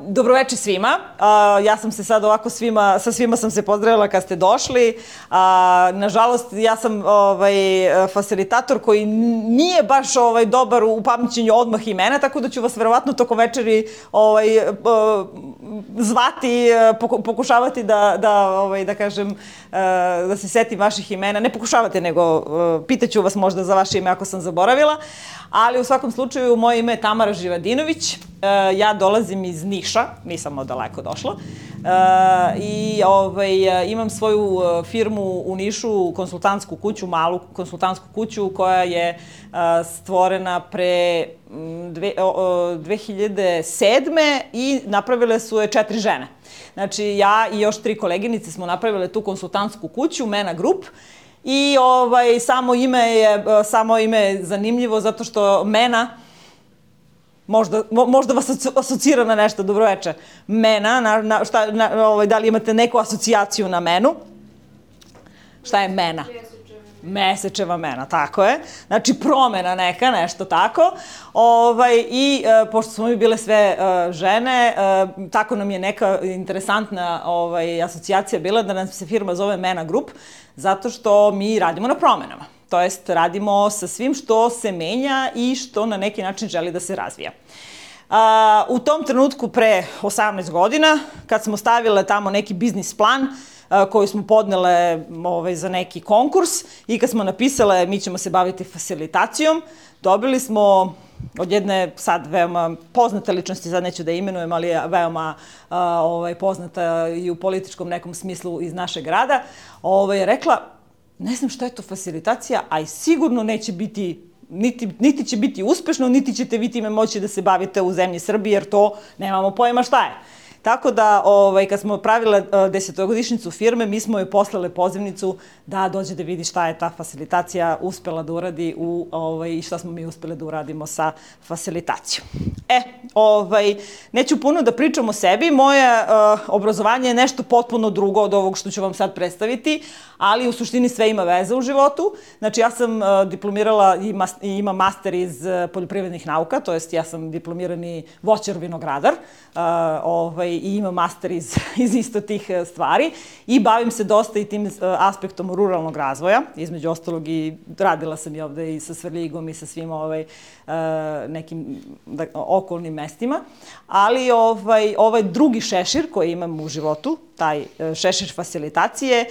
Dobroveče svima. Ja sam se sad ovako sa svima sam se pozdravila kad ste došli. Nažalost, ja sam facilitator koji nije baš dobar u pamćenju odmah imena, tako da ću vas verovatno tokom večeri zvati, pokušavati da kažem, da se setim vaših imena. Ne pokušavate, nego pitaću vas možda za vaše ime ako sam zaboravila. Ali u svakom slučaju, moje ime je Tamara Živadinović. Ja dolazim iz Niša, nisam odaleko došla. I imam svoju firmu u Nišu, konsultantsku kuću, malu konsultantsku kuću koja je stvorena pre 2007. i napravile su je 4 žene. Znači, ja i još 3 koleginice smo napravile tu konsultantsku kuću, MENA Group. I samo ime je zanimljivo zato što MENA, možda vas asocira na nešto, dobroveče. MENA, da li imate neku asocijaciju na menu? Šta je MENA? Mesečeva mena, tako je. Znači, promena neka, nešto tako. I pošto smo mi bile sve žene, tako nam je neka interesantna asocijacija bila da nam se firma zove MENA Group, zato što mi radimo na promenama. To jest, radimo sa svim što se menja i što na neki način želi da se razvija. U tom trenutku pre 18 godina, kad smo stavile tamo neki biznis plan, koji smo podnele za neki konkurs i kad smo napisale mi ćemo se baviti facilitacijom, dobili smo od jedne sad veoma poznate ličnosti, sad neću da imenujem, ali je veoma poznata i u političkom nekom smislu iz našeg grada, je rekla, ne znam šta je to facilitacija, a i sigurno neće biti, niti će biti uspešno, niti ćete vi time moći da se bavite u zemlji Srbiji, jer to nemamo pojma šta je. Tako da, kad smo pravile 10-godišnjicu firme, mi smo joj poslale pozivnicu da dođe da vidi šta je ta facilitacija uspela da uradi i šta smo mi uspele da uradimo sa facilitacijom. Neću puno da pričam o sebi, moje obrazovanje je nešto potpuno drugo od ovog što ću vam sad predstaviti, ali u suštini sve ima veze u životu. Znači, ja sam diplomirala i imam master iz poljoprivrednih nauka, to jest ja sam diplomirani voćar vinogradar, i imam master iz isto tih stvari i bavim se dosta i tim aspektom ruralnog razvoja. Između ostalog i radila sam i ovde i sa Svrljigom i sa svim nekim okolnim mestima. Ali ovaj drugi šešir koji imam u životu, taj šešir facilitacije,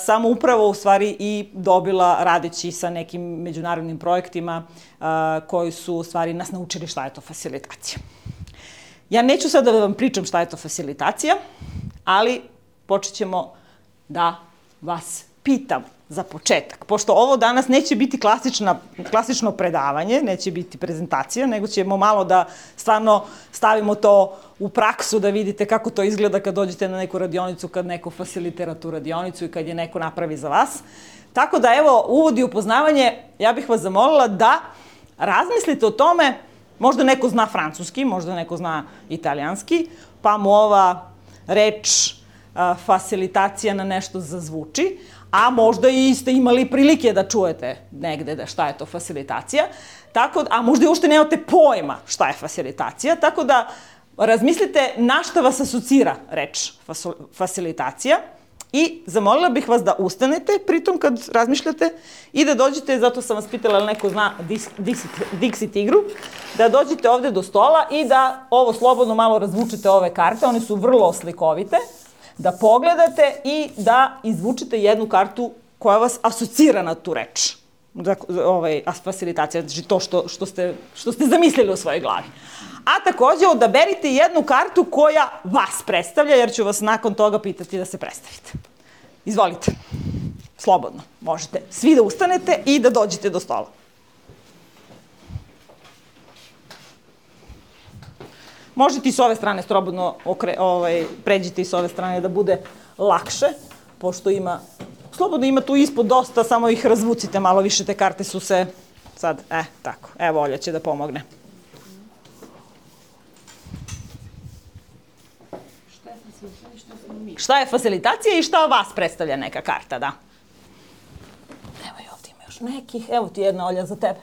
sam upravo u stvari i dobila radeći sa nekim međunarodnim projektima koji su u stvari nas naučili šta je to facilitacija. Ja neću sad da vam pričam šta je to facilitacija, ali počet ćemo da vas pitam za početak. Pošto ovo danas neće biti klasično predavanje, neće biti prezentacija, nego ćemo malo da stvarno stavimo to u praksu, da vidite kako to izgleda kad dođete na neku radionicu, kad neko facilitira tu radionicu i kad je neko napravi za vas. Tako da, evo, uvod i upoznavanje, ja bih vas zamolila da razmislite o tome. Možda neko zna francuski, možda neko zna italijanski, pa mu ova reč facilitacija na nešto zazvuči, a možda i ste imali prilike da čujete negde šta je to facilitacija, a možda i uopšte nemate pojma šta je facilitacija, tako da razmislite na šta vas asocira reč facilitacija i zamolila bih vas da ustanete pritom kad razmišljate i da dođete, zato sam vas pitala ali neko zna Dixit igru, da dođete ovde do stola i da ovo slobodno malo razvučete ove karte, one su vrlo slikovite, da pogledate i da izvučete jednu kartu koja vas asocira na tu reč. Facilitacija, znači to što ste zamislili u svojoj glavi. A takođe odaberite jednu kartu koja vas predstavlja, jer ću vas nakon toga pitati da se predstavite. Izvolite. Slobodno. Možete svi da ustanete i da dođete do stola. Možete i s ove strane slobodno pređite i s ove strane da bude lakše, pošto slobodno ima tu ispod dosta, samo ih razvucite malo više, te karte su se sad, tako, evo Olja će da pomogne. Šta je facilitacija i šta vas predstavlja neka karta, da? Evo i ovdje ima još nekih, evo ti jedna Olja za tebe.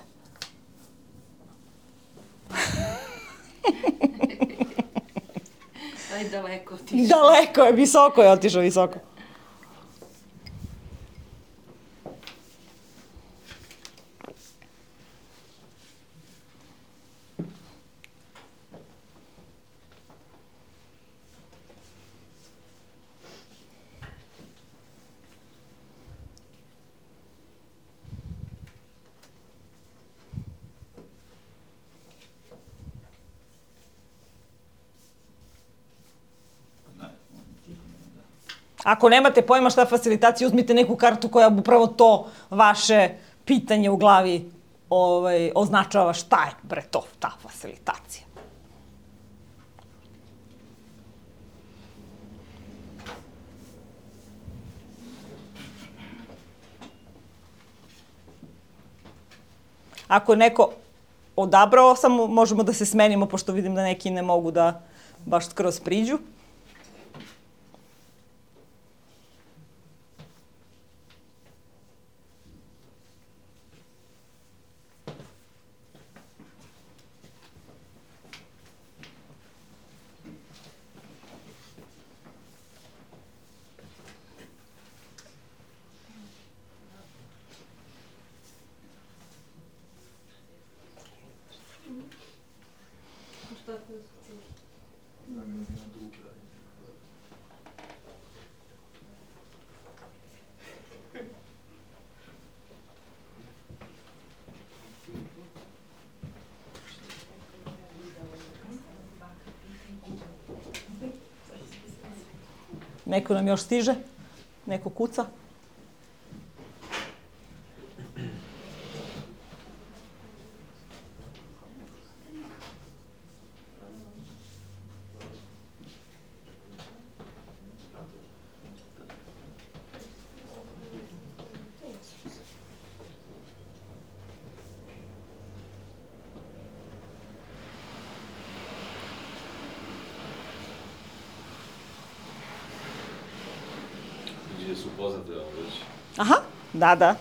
Aj daleko otišao. Daleko je, visoko je otišao, visoko. Ako nemate pojma šta je facilitacija, uzmite neku kartu koja upravo to vaše pitanje u glavi označava šta je, bre, to, ta facilitacija. Ako je neko odabrao, samo možemo da se smenimo, pošto vidim da neki ne mogu da baš skroz priđu. Neko nam još stiže? Neko kuca? Su poznate već. Aha, da.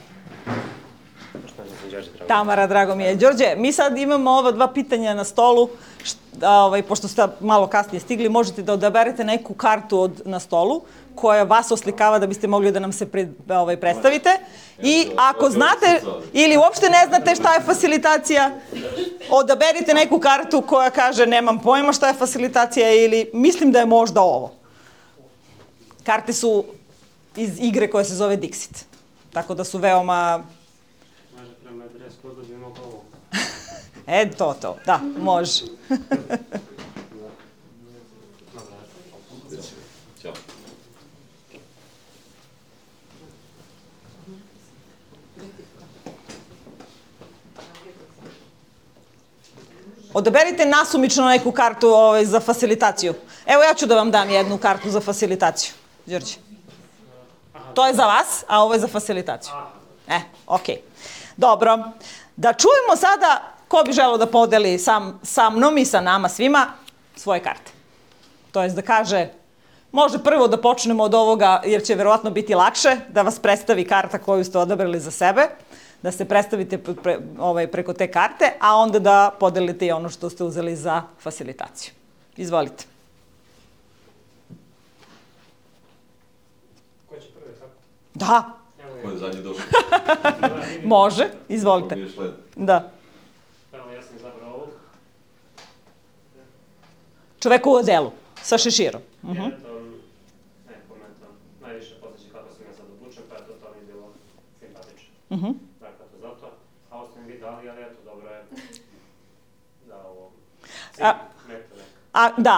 Tamara, drago mi je. Đorđe, mi sad imamo ova dva pitanja na stolu. Pošto ste malo kasnije stigli, možete da odaberete neku kartu na stolu koja vas oslikava da biste mogli da nam se predstavite. I ako znate ili uopšte ne znate šta je facilitacija, odaberite neku kartu koja kaže nemam pojma šta je facilitacija ili mislim da je možda ovo. Karte su iz igre koja se zove Dixit. Tako da su veoma... Može prema adres kodu bi mogo ovo. To, da, može. Ćao. Odaberite nasumično neku kartu za facilitaciju. Evo ja ću da vam dam jednu kartu za facilitaciju. Đorđe. To je za vas, a ovo je za facilitaciju. Okej. Dobro. Da čujemo sada ko bi želeo da podeli sa mnom i sa nama svima svoje karte. To jest da kaže, može prvo da počnemo od ovoga, jer će verovatno biti lakše, da vas predstavi karta koju ste odabrali za sebe, da se predstavite preko te karte, a onda da podelite i ono što ste uzeli za facilitaciju. Izvolite. Ko će prvi, tako? Da. Ko je zadnji došao? Može, izvolite. Ko mi je šled? Da. Evo, ja sam izabrao ovog. Čoveku u odelu, sa šeširom. Komentam. Najviše podsjeća kako sam ja sad obučen, pa eto, to mi je bilo simpatično. Dakle, to zato. A ovo ste mi vi dali, ali eto, dobro je za ovo.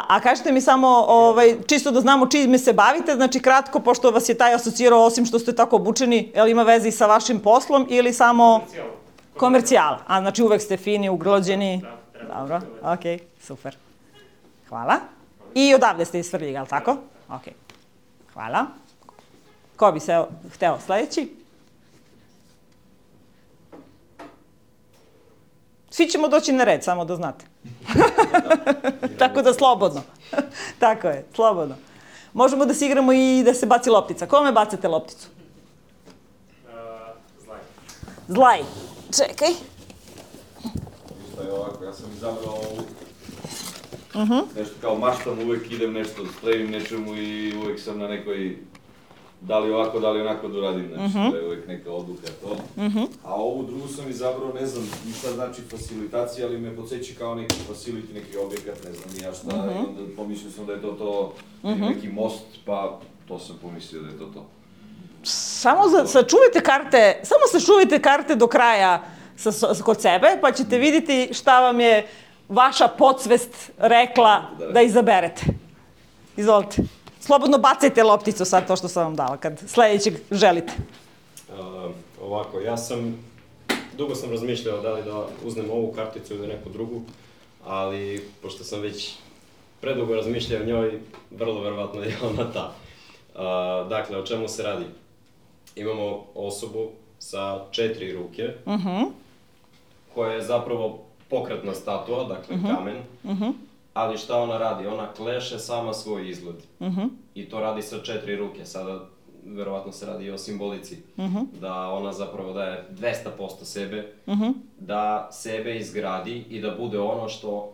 A kažete mi samo, čisto da znamo čime se bavite, znači kratko, pošto vas je taj asocirao, osim što ste tako obučeni, je li ima veze i sa vašim poslom ili samo... Komercijala. A znači uvek ste fini, uglođeni. Dobro, okej, super. Hvala. I odavde ste iz Svrljiga, ali tako? Okej. Hvala. Ko bi se hteo sledeći? Svi ćemo doći na red, samo da znate. Tako da slobodno. Tako je, slobodno. Možemo da se igramo i da se baci loptica. Kome bacate lopticu? Zlaj. Zlaj. Čekaj. Ništa je ovako, ja sam izabrao ovu. nešto kao maštam, uvek idem nešto, stremim nečemu i uvek sam na nekoj, da li ovako, da li onako da uradim, znači to je uvek neka odluka to. A ovu drugu sam izabrao, ne znam ni šta znači facilitacija, ali me podsjeća kao neki facility, neki objekat, ne znam ni ja šta, i onda pomislio sam da je to neki most, pa to sam pomislio da je to. Samo sačuvajte karte do kraja kod sebe, pa ćete vidjeti šta vam je vaša podsvest rekla da izaberete. Izvolite. Slobodno bacajte lopticu sad, to što sam vam dala, kad sledećeg želite. Ovako, dugo sam razmišljao da li da uzmem ovu karticu ili neku drugu, ali pošto sam već predugo razmišljao o njoj, vrlo verovatno je ona ta. Dakle, o čemu se radi? Imamo osobu sa 4 ruke, koja je zapravo pokretna statua, dakle kamen, ali šta ona radi? Ona kleše sama svoj izgled. I to radi sa 4 ruke. Sada, verovatno se radi i o simbolici. Da ona zapravo daje 200% sebe, da sebe izgradi i da bude ono što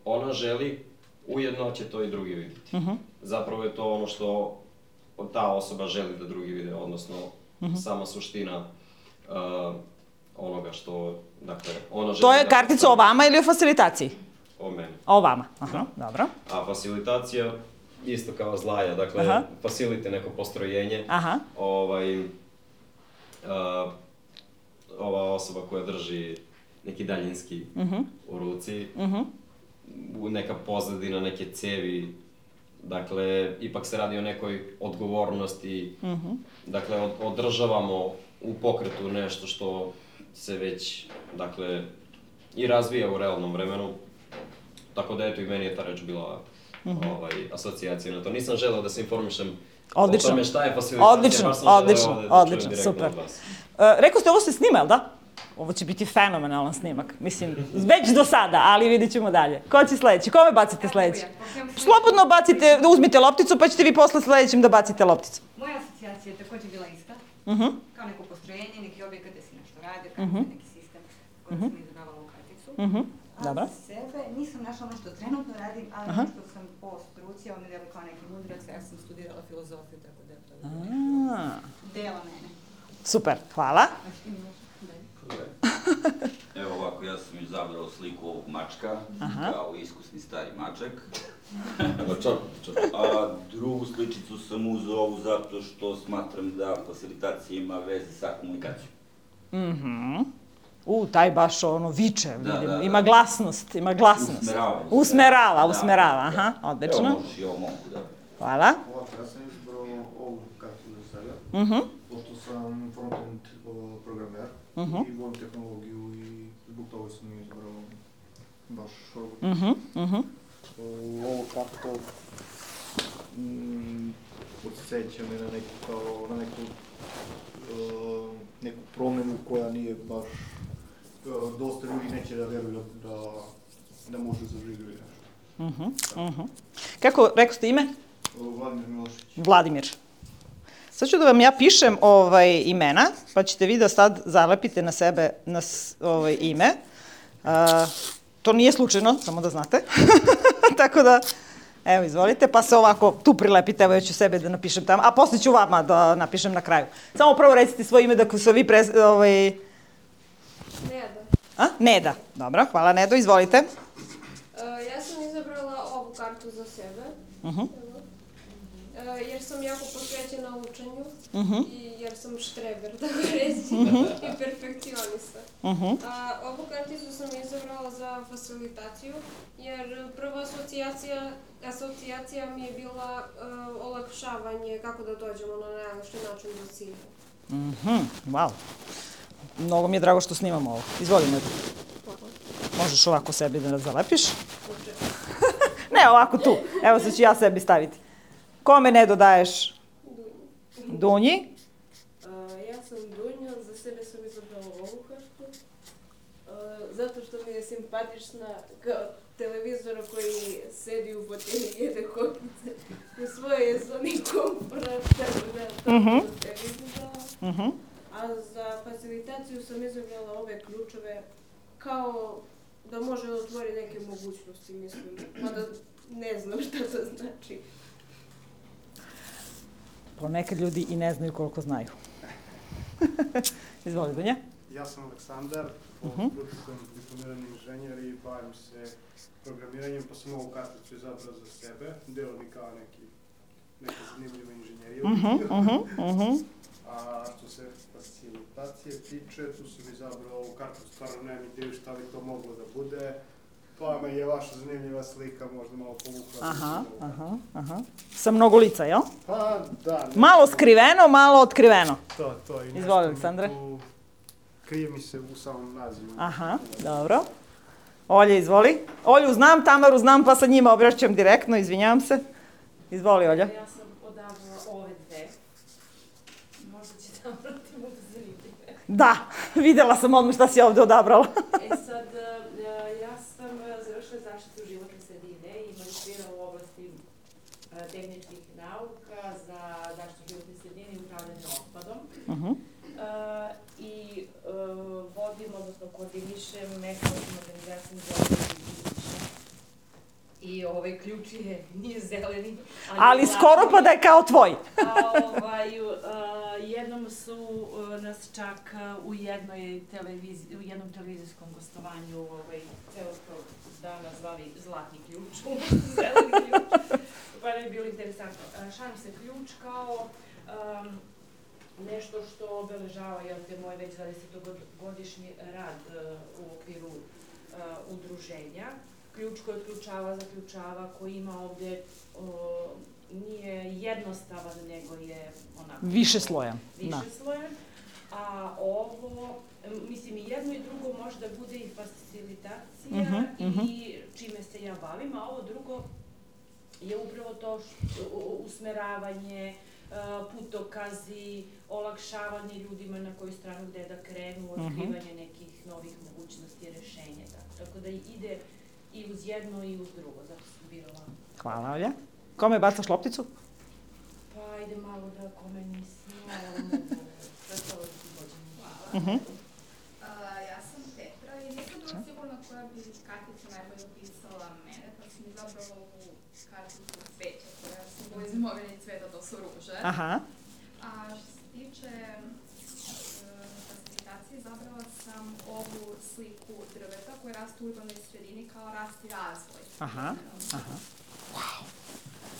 ona želi, ujedno će to i drugi vidjeti. Zapravo je to ono što ta osoba želi da drugi vide, odnosno sama suština onoga što, dakle, ona želi... To je kartica o vama ili o facilitaciji? O meni. O vama, aha, dobro. A facilitacija, isto kao zlaja, dakle, facilite neko postrojenje. Ova osoba koja drži neki daljinski u ruci, neka pozadina, neke cevi, dakle, ipak se radi o nekoj odgovornosti, dakle, održavamo u pokretu nešto što se već, dakle, i razvija u realnom vremenu, tako da eto i meni je ta reč bila asocijacija na to. Nisam želeo da se informišem o tome šta je facilitacija, baš sam želeo da čujem direktno od vas. Rekao ste, ovo se snima, da? Ovo će biti fenomenalan snimak, mislim, već do sada, ali vidit ćemo dalje. Ko će sledeći? Kome bacite sledeći? Slobodno bacite, uzmite lopticu, pa ćete vi posle sledećim da bacite lopticu. Moja asocijacija je također bila ista, kao neko postrojenje, neki objekat da si nešto radi, neki sistem koji sam izabrala ovu karticu. A za sebe nisam našla ono što trenutno radim, ali ono što sam po struci, ono delo kao neki mudrac, ja sam studirala filozofiju, tako da je to dela mene. Super, hvala. Evo ovako, ja sam izabrao sliku ovog mačka, kao iskusni stari mačak. A drugu sličicu sam uzeo ovu zato što smatram da facilitacija ima veze sa komunikacijom. Taj baš ono viče, vidim, ima glasnost. Usmerava, aha, odlično. Evo možeš i ovo mogu, da. Hvala. Ovako, ja sam izbrao ovu kartu za sebe, pošto sam front-end programer i volim tehnologiju i zbog toga sam izbrao baš ovu. Ovu kartu podsjeća me na neku promenu koja nije baš, dosta ljudi neće da veruju da može zaživjeti nešto. Kako, rekao ste ime? Vladimir Milošić. Vladimir. Sad ću da vam ja pišem imena, pa ćete vi da sad zalepite na sebe ime. To nije slučajno, samo da znate. Tako da, evo, izvolite, pa se ovako tu prilepite, evo ja ću sebe da napišem tamo, a posle ću vama da napišem na kraju. Samo prvo recite svoje ime da se vi Neda. Neda. Dobro, hvala Nedo, izvolite. Ja sam izabrala ovu kartu za sebe. Jer sam jako posvećena učenju i jer sam štreber, tako reći, i perfekcionista. Ovu karticu sam izabrala za facilitaciju, jer prva asocijacija mi je bila olakšavanje kako da dođemo na najlakši način do cilja. Wow. Mnogo mi je drago što snimamo ovo. Izvoli, Nedo. Možeš ovako sebi da zalepiš. Ne, ovako tu. Evo sad ću ja sebi staviti. Kome, Nedo, daješ? Dunji. Ja sam Dunja, za sebe sam izabrala ovu kartu, zato što mi je simpatična kao televizor koji sedi u fotelji i jede kokice. U svoje je zoni komfora, tako da to sebi izabrala. A za facilitaciju sam izabrala ove ključeve kao da može da otvori neke mogućnosti, mislim. Mada ne znam šta to znači. Ponekad ljudi i ne znaju koliko znaju. Izvoli, Dunja. Ja sam Aleksandar, po struci sam diplomirani inženjer i bavim se programiranjem, pa sam ovu karticu izabrao za sebe. Deo mi kao neka zanimljiva inženjerija. A što se facilitacije tiče, tu sam izabrao ovu kartu, stvarno nemam ideju šta bi to moglo da bude. Pa me je vaša zanimljiva slika možda malo povukla. Sa mnogo lica, jel? Pa da. Malo skriveno, malo otkriveno. To i Izvoli, Aleksandre. Krije mi se u samom nazivu. Aha, dobro. Olja, izvoli. Olju znam, Tamaru znam, pa sa njima obraćam direktno, izvinjavam se. Izvoli, Olja. Ja sam odabrala ove dve. Možda će Tamara ti budu zanimljive. Da, videla sam odmah šta si ovde odabrala. Sad, ja sam završila zaštitu životne sredine i magistrirala u oblasti tehničkih nauka za zaštitu životne sredine i upravljanje otpadom. I vodim, odnosno koordinišem ekološkim organizacijom za i ključ nije zeleni. Ali skoro pa da je kao tvoj. Jednom su nas čak u jednom televizijskom gostovanju celog dana zvali zlatni ključ, zeleni ključ, pa je bilo interesantno. Šalim se, ključ kao nešto što obeležava moj već 20-godišnji rad u okviru udruženja. Ključ koji otključava, zaključava, koji ima ovde, nije jednostavan, nego je onako... Višeslojan. Višeslojan. A ovo, mislim, i jedno i drugo može da bude i facilitacija i čime se ja bavim, a ovo drugo je upravo to usmeravanje, putokazi, olakšavanje ljudima na koju stranu gde da krenu, otkrivanje nekih novih mogućnosti i rešenja. Tako da ide i uz jedno i uz drugo, zato sam birala. Hvala, Olja. Kome bacaš lopticu? Pa ajde malo da kome nisam, ali mogu. Pretalo da ti dođem. Ja sam Petra i nisam bila sigurna koja bi kartica najbolje opisala mene, pa sam izabrala ovu karticu cveća koja simboliza imovine i cveta, to su ruže. A što se tiče facilitacije, izabrala sam ovu sliku drveta koja raste u urbanoj sredini kao rast i razvoj. Wow.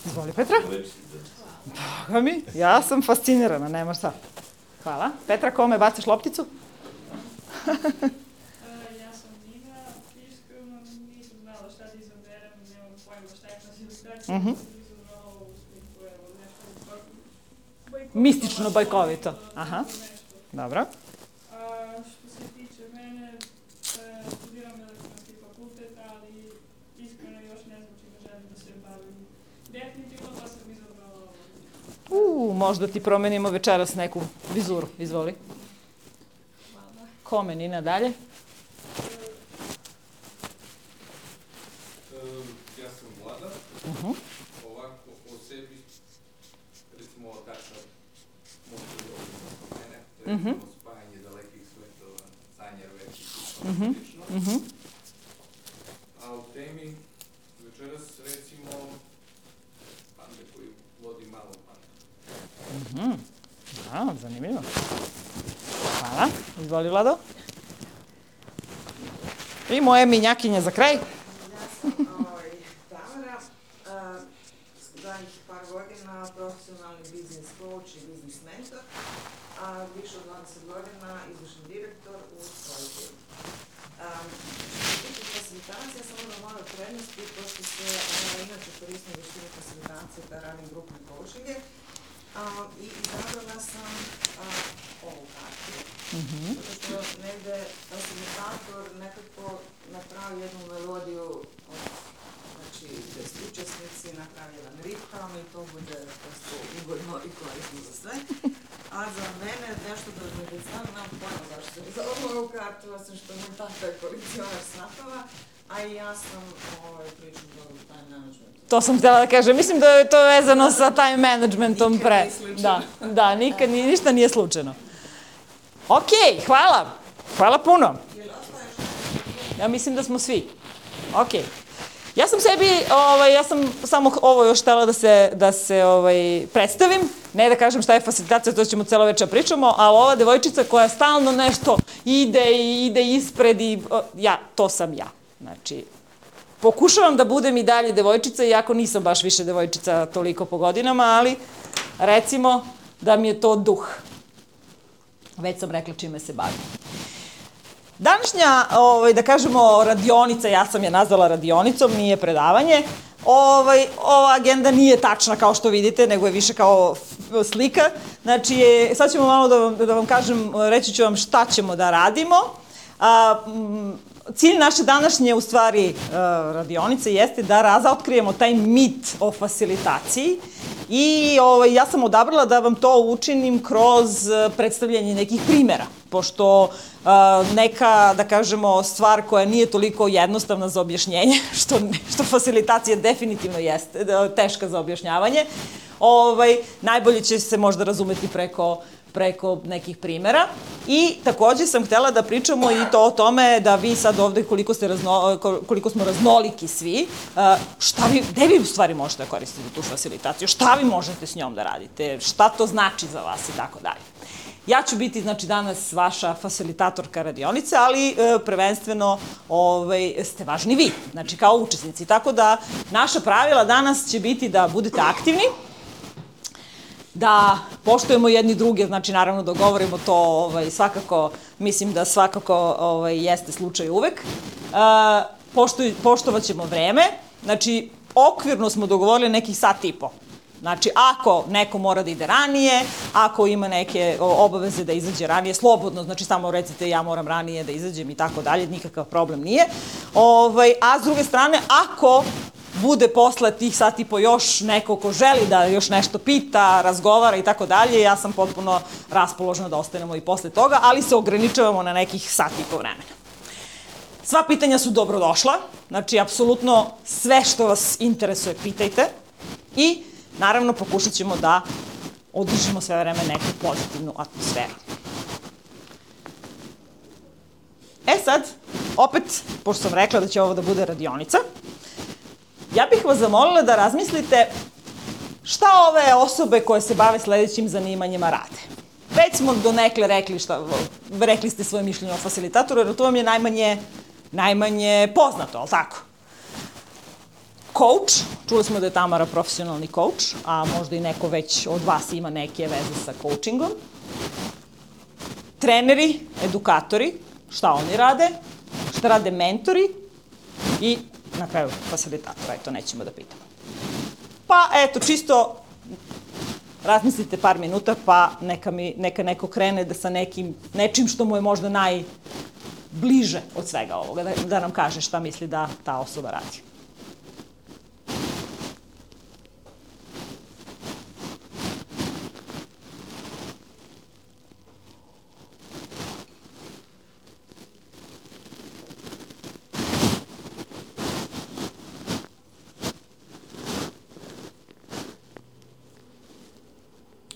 Izvoli, Petra. Boga mi, ja sam fascinirana, nema šta. Hvala. Petra, kome bacaš lopticu? Ja sam Nina, iskreno nisam znala šta da izaberem, nemam pojma šta je facilitacija, sam izabrala ovu sliku, evo, nešto bajkovito. Mistično bajkovito. Aha, dobro. Što se tiče mene, studiram elektronski fakultet, ali iskreno još ne znam čime želim da se bavim. Definitivno pa sam izabrala ovo. Možda ti promenimo večeras neku vizuru. Izvoli. Hvala. Kome, Nina, dalje? Ja sam Vlada. Ovako, o sebi, recimo ova karta može da oko mene. To je recimo spajanje dalekih svetova, sanjar većih i slično. A u temi večeras recimo pande koju vodi malo panda. Da, zanimljivo. Hvala. Izvoli, Vlado. I moje minjakinje za kraj. Ja sam Tamara, zadnjih par godina profesionalni biznis coach i biznis mentor, a više od 20 godina izvršni direktor u svojoj firmi. Što se tiče facilitacije, sam onda moja prednosti, pošto se inače koristim veštine facilitacije da radim grupne coachinge, i izabrala sam ovu kartu, zato što negde facilitator nekako napravi jednu melodiju, znači gde su učesnici napravi jedan ritam i to bude prosto ugodno i korisno za sve. A za mene nešto da znam, nemam pojma zašto sam izabrala ovu kartu, osim što moj tata je kolekcionar snapova, a i ja sam pričam dobro time management. To sam htjela da kažem. Mislim da je to vezano sa time managementom pre. Da, nikad ništa nije slučajno. Okej, hvala. Hvala puno. Ja mislim da smo svi. Okej. Ja sam sebi, ja sam samo ovo još htela da se predstavim, ne da kažem šta je facilitacija, to ćemo celo večer pričamo, ali ova devojčica koja stalno nešto ide ispred i to sam ja. Znači, pokušavam da budem i dalje devojčica, iako nisam baš više devojčica toliko po godinama, ali recimo da mi je to duh. Već sam rekla čime se bavim. Današnja, da kažemo, radionica, ja sam je nazvala radionicom, nije predavanje. Ova agenda nije tačna kao što vidite, nego je više kao slika. Znači, sad ćemo malo da vam kažem, reći ću vam šta ćemo da radimo. Cilj naše današnje, u stvari, radionice jeste da razotkrijemo taj mit o facilitaciji i ja sam odabrala da vam to učinim kroz predstavljanje nekih primera, pošto neka, da kažemo, stvar koja nije toliko jednostavna za objašnjenje, što facilitacija definitivno jeste teška za objašnjavanje, najbolje će se možda razumeti preko nekih primera. I takođe sam htela da pričamo i to o tome da vi sad ovde, koliko smo raznoliki svi, gde vi u stvari možete da koristite tu facilitaciju, šta vi možete s njom da radite, šta to znači za vas i tako dalje. Ja ću biti, znači, danas vaša facilitatorka radionice, ali prvenstveno ste važni vi, znači kao učesnici. Tako da naša pravila danas će biti da budete aktivni, da poštujemo jedni druge, znači naravno da govorimo to svakako, mislim da svakako jeste slučaj uvek. Poštovat ćemo vreme, znači okvirno smo dogovorili nekih sat i po. Znači, ako neko mora da ide ranije, ako ima neke obaveze da izađe ranije, slobodno, znači samo recite ja moram ranije da izađem i tako dalje, nikakav problem nije. A s druge strane, ako bude posle tih sat i po još neko ko želi da još nešto pita, razgovara i tako dalje, ja sam potpuno raspoložena da ostanemo i posle toga, ali se ograničavamo na nekih sat i po vremena. Sva pitanja su dobrodošla, znači apsolutno sve što vas interesuje pitajte i naravno pokušat ćemo da održimo sve vreme neku pozitivnu atmosferu. Sad, opet, pošto sam rekla da će ovo da bude radionica, ja bih vas zamolila da razmislite šta ove osobe koje se bave sledećim zanimanjima rade. Već smo donekle rekli ste svoje mišljenje o facilitatoru, jer to vam je najmanje poznato, ali tako? Coach, čuli smo da je Tamara profesionalni coach, a možda i neko već od vas ima neke veze sa coachingom. Treneri, edukatori, šta oni rade, šta rade mentori i na kraju facilitatora, eto, nećemo da pitamo. Pa, eto, čisto razmislite par minuta, pa neka neko krene sa nečim što mu je možda najbliže od svega ovoga, da nam kaže šta misli da ta osoba radi.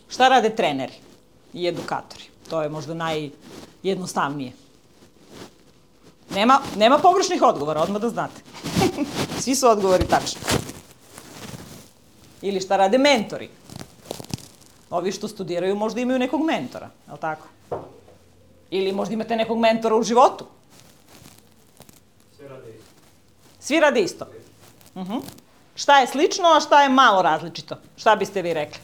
Šta rade treneri i edukatori? To je možda najjednostavnije. Nema pogrešnih odgovora, odmah da znate. Svi su odgovori tačni. Ili šta rade mentori? Ovi što studiraju možda imaju nekog mentora, je li tako? Ili možda imate nekog mentora u životu? Svi rade isto. Svi rade isto? Šta je slično, a šta je malo različito? Šta biste vi rekli?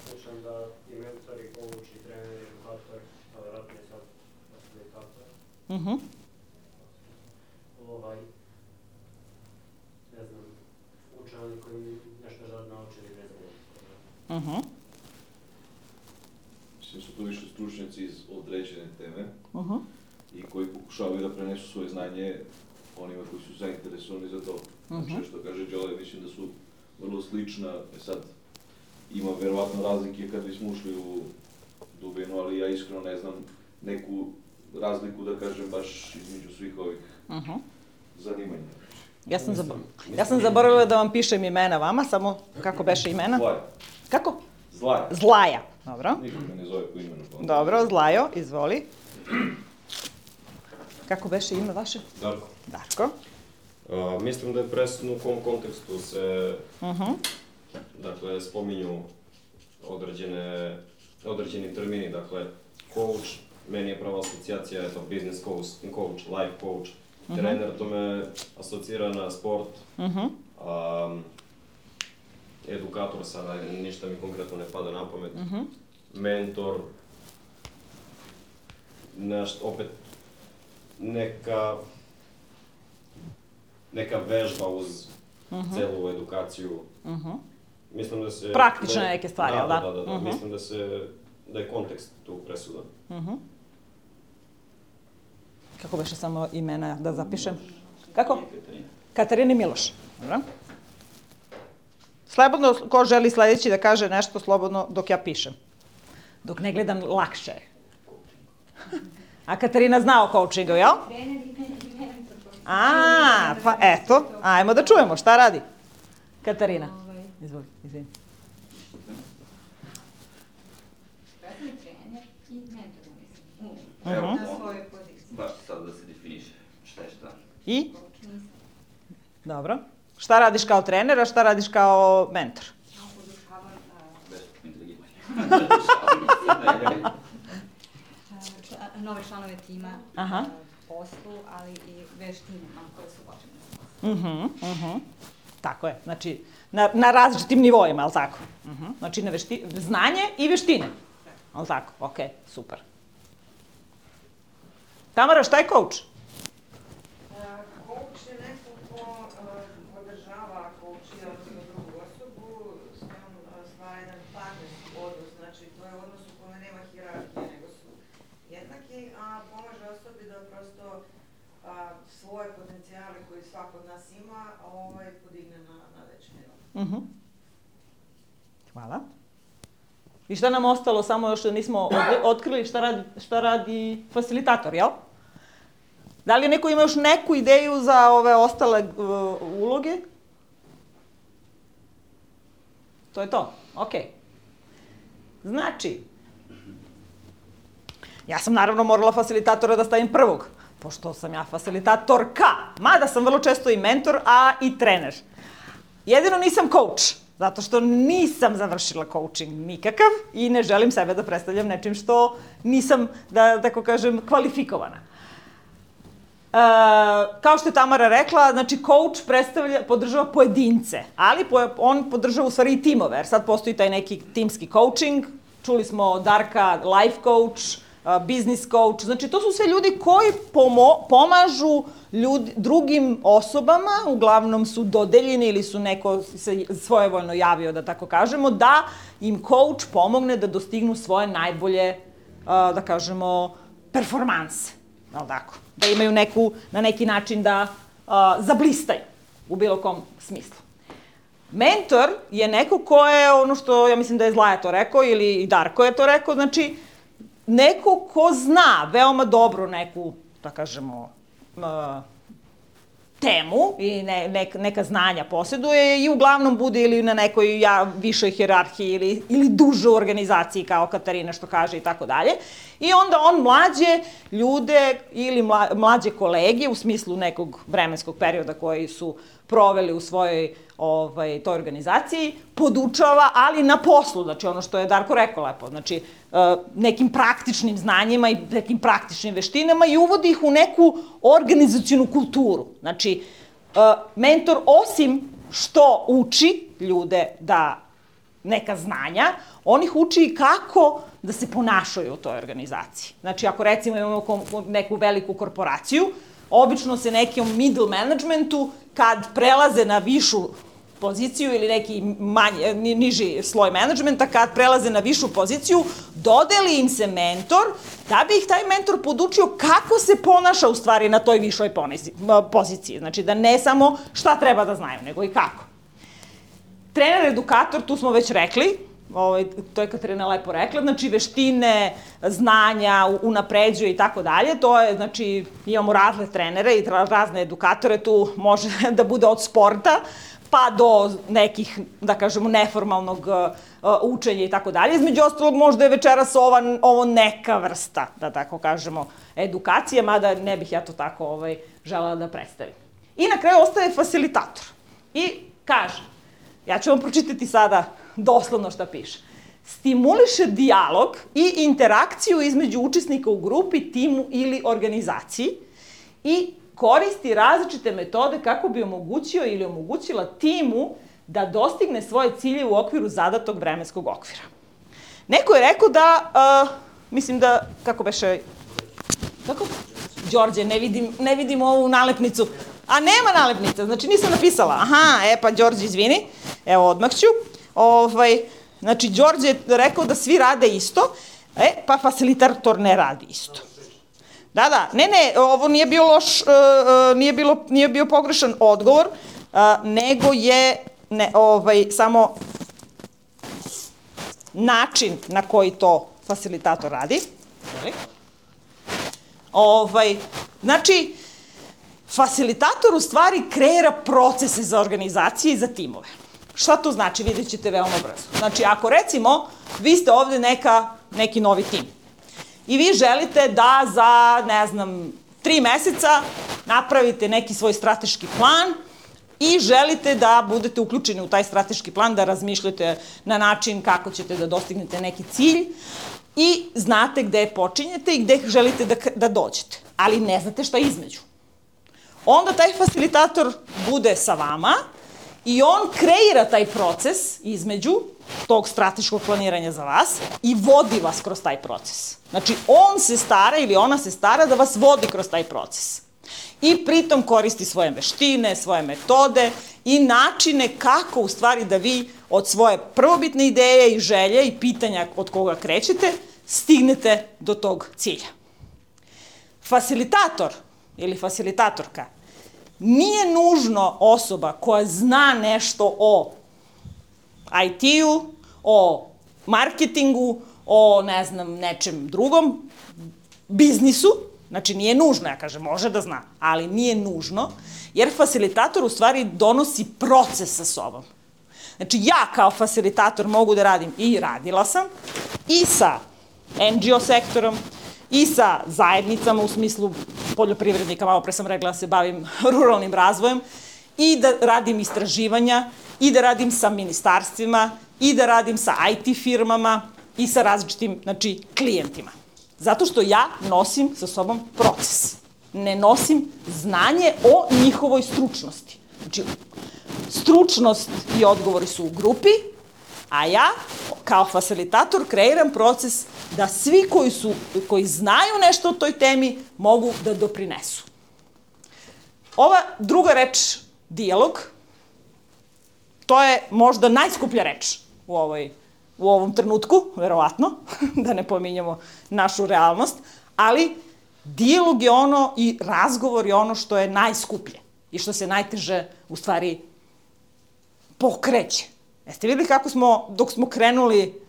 Slušam da i mentori, coach, i treneri, edukatori, ali vjerojatno je sad facilitator. Ne znam, uče oni koji nešto žele naučili vezano. Mislim su to više stručnjaci iz određene teme i koji pokušavaju da prenesu svoje znanje onima koji su zainteresovani za to. Znači, što kaže Đole, mislim da su vrlo slična. Sad, ima verovatno razlike kad bismo ušli u dubinu, ali ja iskreno ne znam neku razliku, da kažem, baš između svih ovih zanimanja. Ja sam zaboravila da vam pišem imena vama, samo kako beše imena? Zlaja. Kako? Zlaja. Zlaja, dobro. Niko me ne zove po imenu. Dobro, Zlajo, izvoli. Kako beše ime vaše? Darko. Darko. Mislim da je presudno u kom kontekstu se dakle, spominju određeni termini, dakle, coach, meni je prava asocijacija, eto, business coach, life coach, trener, to me asocira na sport, edukator, sada ništa mi konkretno ne pada na pamet, mentor, opet neka vežba uz celu edukaciju. Mislim da se... Praktične neke stvari, jel da? Da. Mislim da je kontekst tu presudan. Kako beše samo imena da zapišem? Kako? Katarina i Miloš. Dobro. Slobodno, ko želi sledeći da kaže nešto, slobodno dok ja pišem. Dok ne gledam, lakše je. A Katarina zna o coachingu, jel? Pa eto, ajmo da čujemo, šta radi? Katarina. Izvoli, izvini. Personalni trener i mentor, mislim. Na svojoj poziciji. Baš sad da se definiše šta je šta. I? Dobro. Šta radiš kao trener, a šta radiš kao mentor? Ja podušavam nove članove tima, poslu, ali i veštinama koje su potrebne. Tako je, znači na različitim nivoima, ali tako? Znači znanje i veštine, ali tako? Ok, super. Tamara, šta je coach? Coach je neko ko podržava coacha, odnosno drugu osobu, s njom stvara jedan partnerski odnos, znači to je odnos u kome nema hijerarhije, nego su jednaki, a pomaže osobi da prosto svoje potencijale koje svako od nas ima, podigne na veći nivo. Hvala. I šta nam ostalo, samo još nismo otkrili šta radi facilitator, jel? Da li neko ima još neku ideju za ove ostale uloge? To je to, okej. Znači, ja sam naravno morala facilitatora da stavim prvog, pošto sam ja facilitatorka, mada sam vrlo često i mentor, a i trener. Jedino nisam coach, zato što nisam završila coaching nikakav i ne želim sebe da predstavljam nečim što nisam, da tako kažem, kvalifikovana. Kao što je Tamara rekla, znači coach podržava pojedince, ali on podržava u stvari i timove, jer sad postoji taj neki timski coaching, čuli smo Darka, life coach, business coach, znači to su sve ljudi koji pomažu drugim osobama, uglavnom su dodeljeni ili su neko se svojevoljno javio, da tako kažemo, da im coach pomogne da dostignu svoje najbolje, da kažemo, performanse, ali tako, da imaju na neki način da zablistaju u bilo kom smislu. Mentor je neko ko je, ono što ja mislim da je Zlaja to rekao ili Darko je to rekao, znači neko ko zna veoma dobro neku, da kažemo, temu i neka znanja posjeduje i uglavnom bude ili na nekoj višoj hijerarhiji ili duže u organizaciji kao Katarina što kaže i tako dalje. I onda on mlađe ljude ili mlađe kolege u smislu nekog vremenskog perioda koji su proveli u svojoj toj organizaciji, podučava, ali na poslu, znači ono što je Darko rekao lepo, znači nekim praktičnim znanjima i nekim praktičnim veštinama i uvodi ih u neku organizacionu kulturu. Znači, mentor osim što uči ljude da neka znanja, on ih uči i kako da se ponašaju u toj organizaciji. Znači, ako recimo imamo neku veliku korporaciju, obično se nekom middle managementu, kad prelaze na višu poziciju ili neki niži sloj menadžmenta, kad prelaze na višu poziciju, dodeli im se mentor, da bi ih taj mentor podučio kako se ponaša u stvari na toj višoj poziciji. Znači da ne samo šta treba da znaju, nego i kako. Trener, edukator, tu smo već rekli, to je Katarina lepo rekla, znači veštine, znanja, unapređuje i tako dalje, to je, znači, imamo razne trenere i razne edukatore, tu može da bude od sporta, pa do nekih, da kažemo, neformalnog učenja i tako dalje. Između ostalog, možda je večeras ovo neka vrsta, da tako kažemo, edukacije, mada ne bih ja to tako želela da predstavim. I na kraju ostaje fasilitator. I kaže, ja ću vam pročitati sada doslovno šta piše. Stimuliše dijalog i interakciju između učesnika u grupi, timu ili organizaciji i koristi različite metode kako bi omogućio ili omogućila timu da dostigne svoje ciljeve u okviru zadatog vremenskog okvira. Neko je rekao da, mislim da, kako beše, kako? Đorđe, ne vidim ovu nalepnicu. A nema nalepnica, znači nisam napisala. Aha, pa Đorđe, izvini, evo odmah ću. Znači, Đorđe je rekao da svi rade isto, pa facilitator ne radi isto. Da, ne, ovo nije bio loš, nije bio pogrešan odgovor, nego je samo način na koji to facilitator radi. Znači, facilitator u stvari kreira procese za organizacije i za timove. Šta to znači? Vidjet ćete veoma brzo. Znači, ako recimo, vi ste ovde neki novi tim i vi želite da za, 3 meseca napravite neki svoj strateški plan i želite da budete uključeni u taj strateški plan, da razmišljate na način kako ćete da dostignete neki cilj i znate gde počinjete i gde želite da dođete, ali ne znate šta između. Onda taj facilitator bude sa vama i on kreira taj proces između tog strateškog planiranja za vas i vodi vas kroz taj proces. Znači, on se stara ili ona se stara da vas vodi kroz taj proces. I pritom koristi svoje veštine, svoje metode i načine kako u stvari da vi od svoje prvobitne ideje i želje i pitanja od koga krećete stignete do tog cilja. Facilitator ili facilitatorka nije nužno osoba koja zna nešto o IT-u, o marketingu, o, nečem drugom, biznisu. Znači, nije nužno, ja kažem, može da zna, ali nije nužno, jer facilitator u stvari donosi proces sa sobom. Znači, ja kao facilitator mogu da radim, i radila sam, i sa NGO sektorom, i sa zajednicama u smislu poljoprivrednika, malo pre sam rekla da se bavim ruralnim razvojem, i da radim istraživanja, i da radim sa ministarstvima, i da radim sa IT firmama, i sa različitim, znači, klijentima. Zato što ja nosim sa sobom proces. Ne nosim znanje o njihovoj stručnosti. Znači, stručnost i odgovori su u grupi, a ja, kao facilitator, kreiram proces da svi koji znaju nešto o toj temi mogu da doprinesu. Ova druga reč, dijalog, to je možda najskuplja reč u ovom trenutku, verovatno, da ne pominjamo našu realnost, ali dijalog je ono i razgovor je ono što je najskuplje i što se najteže, u stvari, pokreće. Jeste videli kako smo, dok smo krenuli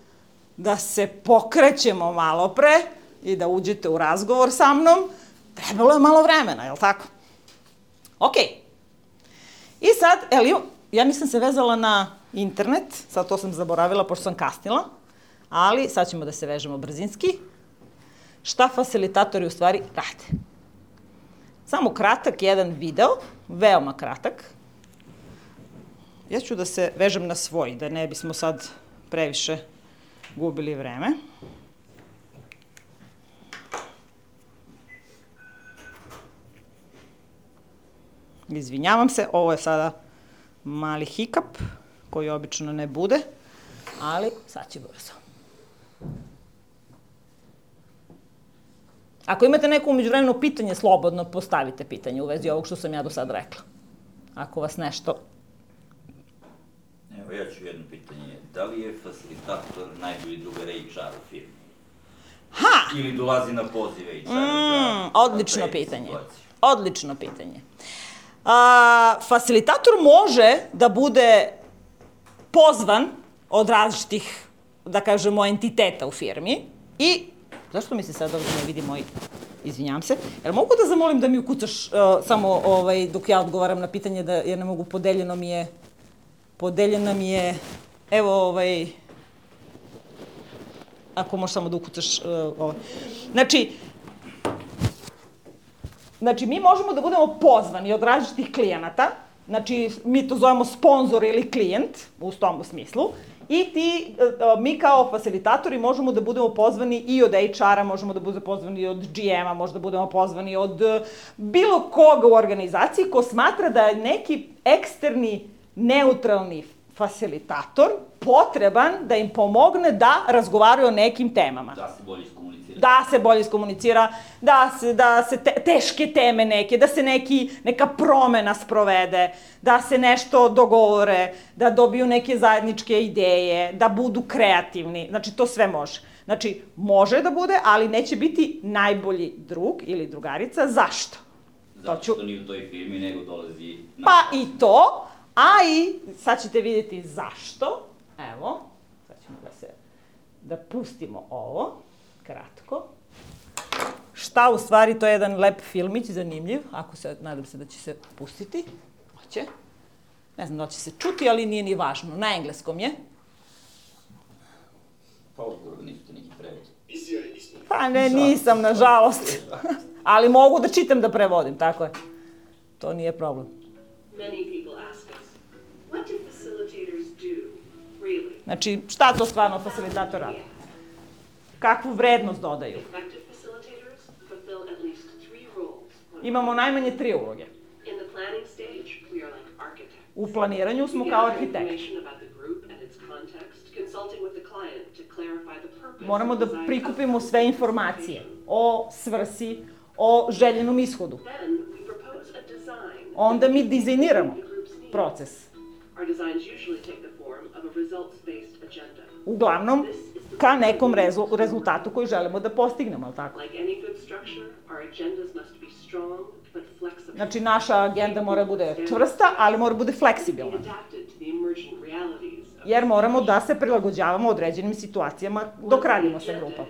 da se pokrećemo malo pre i da uđete u razgovor sa mnom, trebalo je malo vremena, je li tako? Okej. I sad, ja nisam se vezala na internet, sad to sam zaboravila pošto sam kasnila, ali sad ćemo da se vežemo brzinski. Šta facilitatori u stvari rade? Samo kratak jedan video, veoma kratak. Ja ću da se vežem na svoj, da ne bismo sad previše gubili vreme. Izvinjavam se, ovo je sada mali hikap, koji obično ne bude, ali sad će brzo. Ako imate neko umeđuvremeno pitanje, slobodno postavite pitanje u vezi ovog što sam ja do sad rekla. Ako vas nešto... Evo, ja ću jedno pitanje. Da li je facilitator najbolji drugar HR u firmi? Ha! Ili dolazi na poziv HR? Odlično pitanje. Odlično pitanje. Facilitator može da bude pozvan od različitih, da kažemo, entiteta u firmi i, zašto mi se sad ovdje ne vidi moj, izvinjam se, jer mogu da zamolim da mi ukucaš samo dok ja odgovaram na pitanje, jer ne mogu, podeljeno mi je Podeljen nam je, evo, ako možeš samo da ukucaš ovo. Znači, mi možemo da budemo pozvani od različitih klijenata, znači, mi to zovemo sponzor ili klijent, u tom smislu, i mi kao facilitatori možemo da budemo pozvani i od HR-a, možemo da budemo pozvani i od GM-a, možemo da budemo pozvani od bilo koga u organizaciji ko smatra da je neki eksterni, neutralni facilitator potreban da im pomogne da razgovaraju o nekim temama. Da se bolje iskomunicira. Da se bolje iskomunicira, da se teške teme neke, da se neka promena sprovede, da se nešto dogovore, da dobiju neke zajedničke ideje, da budu kreativni. Znači, to sve može. Znači, može da bude, ali neće biti najbolji drug ili drugarica. Zašto? Zato što nije u toj firmi, nego dolazi... Pa i to, a i sad ćete vidjeti zašto. Evo, sad ćemo da pustimo ovo, kratko. Šta u stvari, to je jedan lep filmić, zanimljiv, nadam se da će se pustiti. Hoće. Ne znam da će se čuti, ali nije ni važno. Na engleskom je. Pa odgovor, niste neki prevod. Pa ne, nisam, nažalost. Ali mogu da čitam da prevodim, tako je. To nije problem. Znači, šta to stvarno facilitator radi? Kakvu vrednost dodaju? Imamo najmanje 3 uloge. U planiranju smo kao arhitekti. Moramo da prikupimo sve informacije o svrsi, o željenom ishodu. Onda mi dizajniramo proces. Uglavnom, ka nekom rezultatu koji želimo da postignemo, ali tako? Znači, naša agenda mora bude čvrsta, ali mora bude fleksibilna. Jer moramo da se prilagođavamo određenim situacijama dok radimo sa grupom.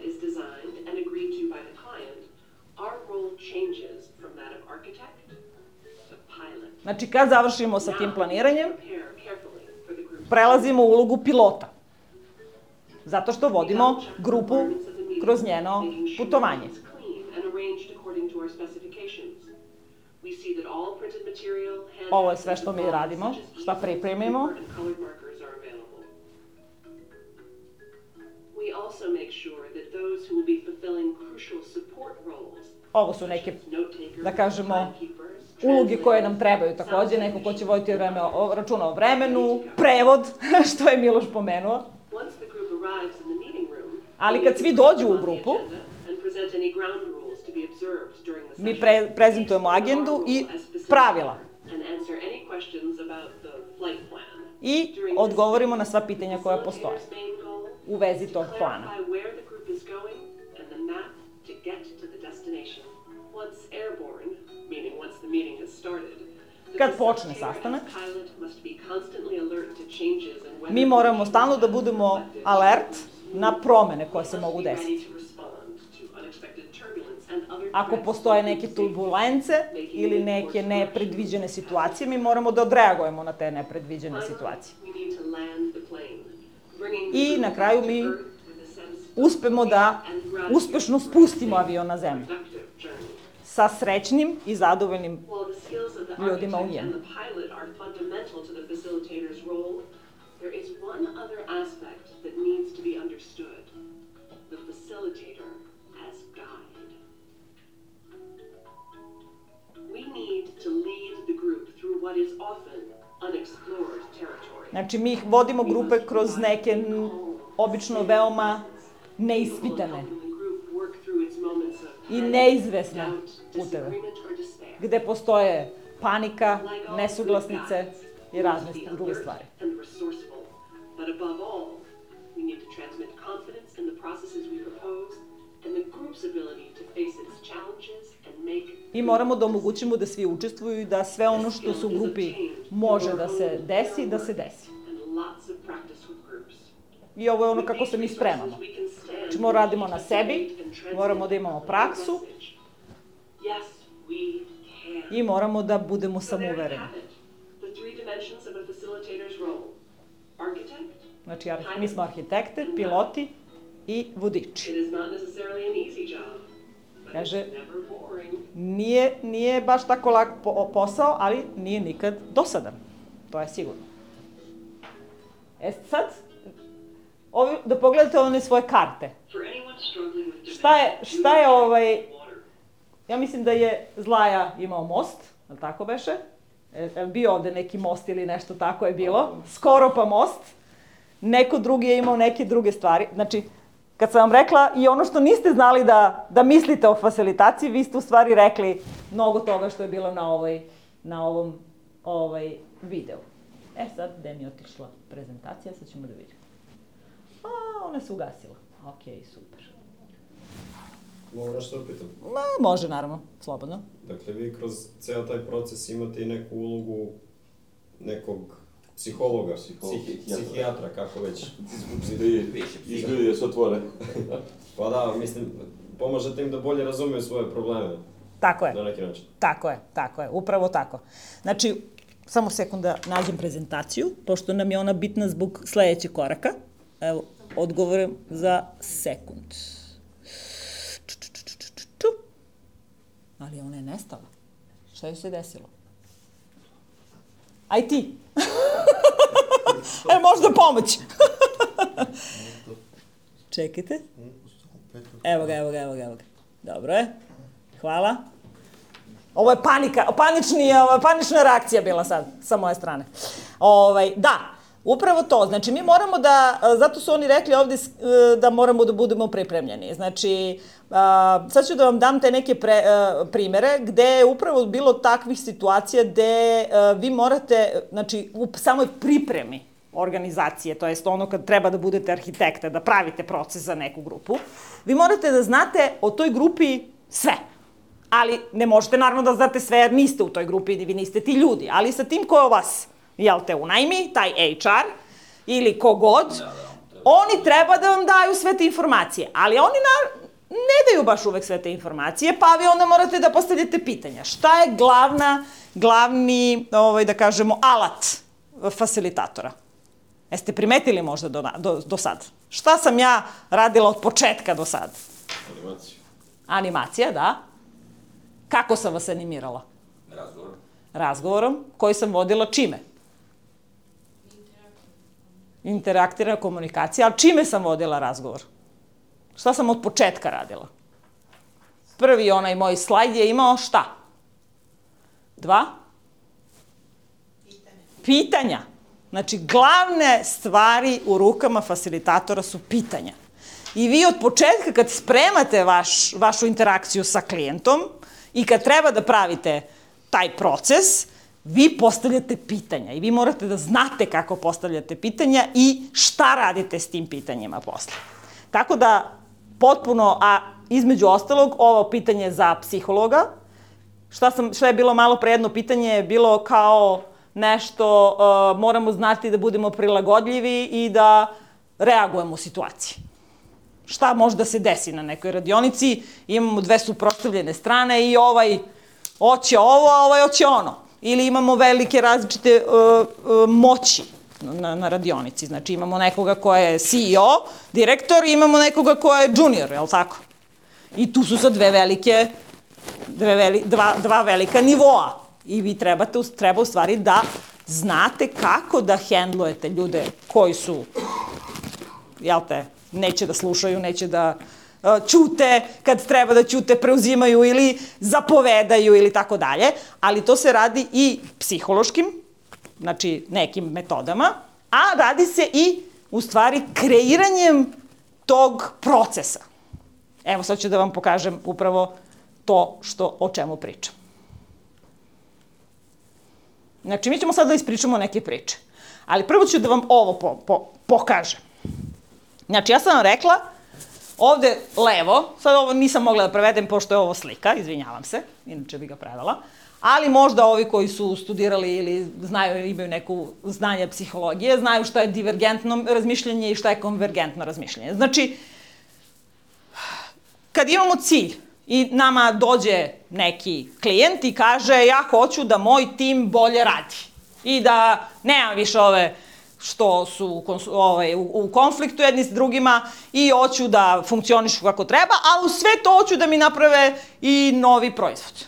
Znači, kad završimo sa tim planiranjem, prelazimo u ulogu pilota. Zato što vodimo grupu kroz njeno putovanje. Ovo je sve što mi radimo, šta pripremimo. Ovo su neke, da kažemo, uloge koje nam trebaju takođe, neko ko će voditi računa o vremenu, prevod, što je Miloš pomenuo. Ali kad svi dođu u grupu, mi prezentujemo agendu i pravila. I odgovorimo na sva pitanja koja postoje u vezi tog plana. Kad počne sastanak, mi moramo stalno da budemo alert na promene koje se mogu desiti. Ako postoje neke turbulence ili neke nepredviđene situacije, mi moramo da odreagujemo na te nepredviđene situacije. I na kraju mi uspemo da uspešno spustimo avion na zemlju sa srećnim i zadovoljnim ljudima u njemu. Znači, mi vodimo grupe kroz neke obično veoma neispitane i neizvesne puteve, gde postoje panika, nesuglasnice i razne druge stvari. I moramo da omogućimo da svi učestvuju i da sve ono što se u grupi može da se desi, da se desi. I ovo je ono kako se mi spremamo. Znači, moramo radimo na sebi, moramo da imamo praksu i moramo da budemo samouvereni. Znači, mi smo arhitekte, piloti i vodiči. Kaže, nije baš tako lak posao, ali nije nikad dosadan. To je sigurno. Sad, da pogledate one svoje karte. Šta je ja mislim da je Zlaja imao most, ali tako beše? Bio ovde neki most ili nešto tako je bilo. Skoro pa most. Neko drugi je imao neke druge stvari. Znači, kad sam vam rekla i ono što niste znali da mislite o fasilitaciji, vi ste u stvari rekli mnogo toga što je bilo na ovom videu. Sad, gde mi je otišla prezentacija, sad ćemo da vidimo. Ona se ugasila. Okej, super. Mogu nešto da pitam? Može, naravno, slobodno. Dakle, vi kroz ceo taj proces imate i neku ulogu nekog psihologa, psihijatra, kako već. Izgledi da se otvore. Pa da, mislim, pomažete im da bolje razumeju svoje probleme. Tako je. Na neki način. Tako je, upravo tako. Znači, samo sekund da nađem prezentaciju, pošto nam je ona bitna zbog sledećeg koraka. Evo, odgovorim za sekund. Ali ona je nestala. Šta joj se desilo? Aj ti! Možda pomoć! Čekajte. Evo ga. Dobro je. Hvala. Ovo je panika, panična reakcija bila sad, sa moje strane. Da, upravo to. Znači, mi moramo zato su oni rekli ovde da moramo da budemo pripremljeni. Znači, sad ću da vam dam te neke primere gde je upravo bilo takvih situacija gde vi morate, znači, u samoj pripremi organizacije, to jest ono kad treba da budete arhitekta, da pravite proces za neku grupu, vi morate da znate o toj grupi sve. Ali ne možete naravno da znate sve jer niste u toj grupi, vi niste ti ljudi, ali sa tim ko vas, jel te, unajmi, taj HR ili kogod, oni treba da vam daju sve te informacije, ali oni ne daju baš uvek sve te informacije, pa vi onda morate da postavljate pitanja. Šta je glavni, da kažemo, alat fasilitatora? Jeste primetili možda do sad? Šta sam ja radila od početka do sad? Animaciju. Animacija, da. Kako sam vas animirala? Razgovorom. Razgovorom, koji sam vodila čime? Interaktivna komunikacija, ali čime sam vodila razgovor? Šta sam od početka radila? Prvi onaj moj slajd je imao šta? 2? Pitanja. Znači, glavne stvari u rukama fasilitatora su pitanja. I vi od početka kad spremate vašu interakciju sa klijentom i kad treba da pravite taj proces, vi postavljate pitanja i vi morate da znate kako postavljate pitanja i šta radite s tim pitanjima posle. Tako da, potpuno, a između ostalog, ovo pitanje za psihologa, šta je bilo malo pre jedno pitanje, je bilo kao nešto, moramo znati da budemo prilagodljivi i da reagujemo u situaciji. Šta može da se desi na nekoj radionici, imamo dve suprotstavljene strane i ovaj hoće ovo, a ovaj hoće ono. Ili imamo velike različite moći na radionici. Znači imamo nekoga ko je CEO, direktor, i imamo nekoga ko je junior, je li tako? I tu su sad dva velika nivoa. I vi treba u stvari da znate kako da hendlujete ljude koji su, jel te, neće da slušaju, neće da ćute, kad treba da ćute, preuzimaju ili zapovedaju ili tako dalje, ali to se radi i psihološkim, znači nekim metodama, a radi se i u stvari kreiranjem tog procesa. Evo sad ću da vam pokažem upravo to o čemu pričam. Znači, mi ćemo sad da ispričamo neke priče, ali prvo ću da vam ovo pokažem. Znači, ja sam vam rekla, ovde levo, sad ovo nisam mogla da prevedem pošto je ovo slika, izvinjavam se, inače bi ga prevela, ali možda ovi koji su studirali ili znaju, imaju neku znanje psihologije, znaju šta je divergentno razmišljanje i šta je konvergentno razmišljanje. Znači, kad imamo cilj i nama dođe neki klijent i kaže ja hoću da moj tim bolje radi i da nemam više ove što su u konfliktu jedni s drugima i hoću da funkcionišu kako treba, a u sve to hoću da mi naprave i novi proizvod.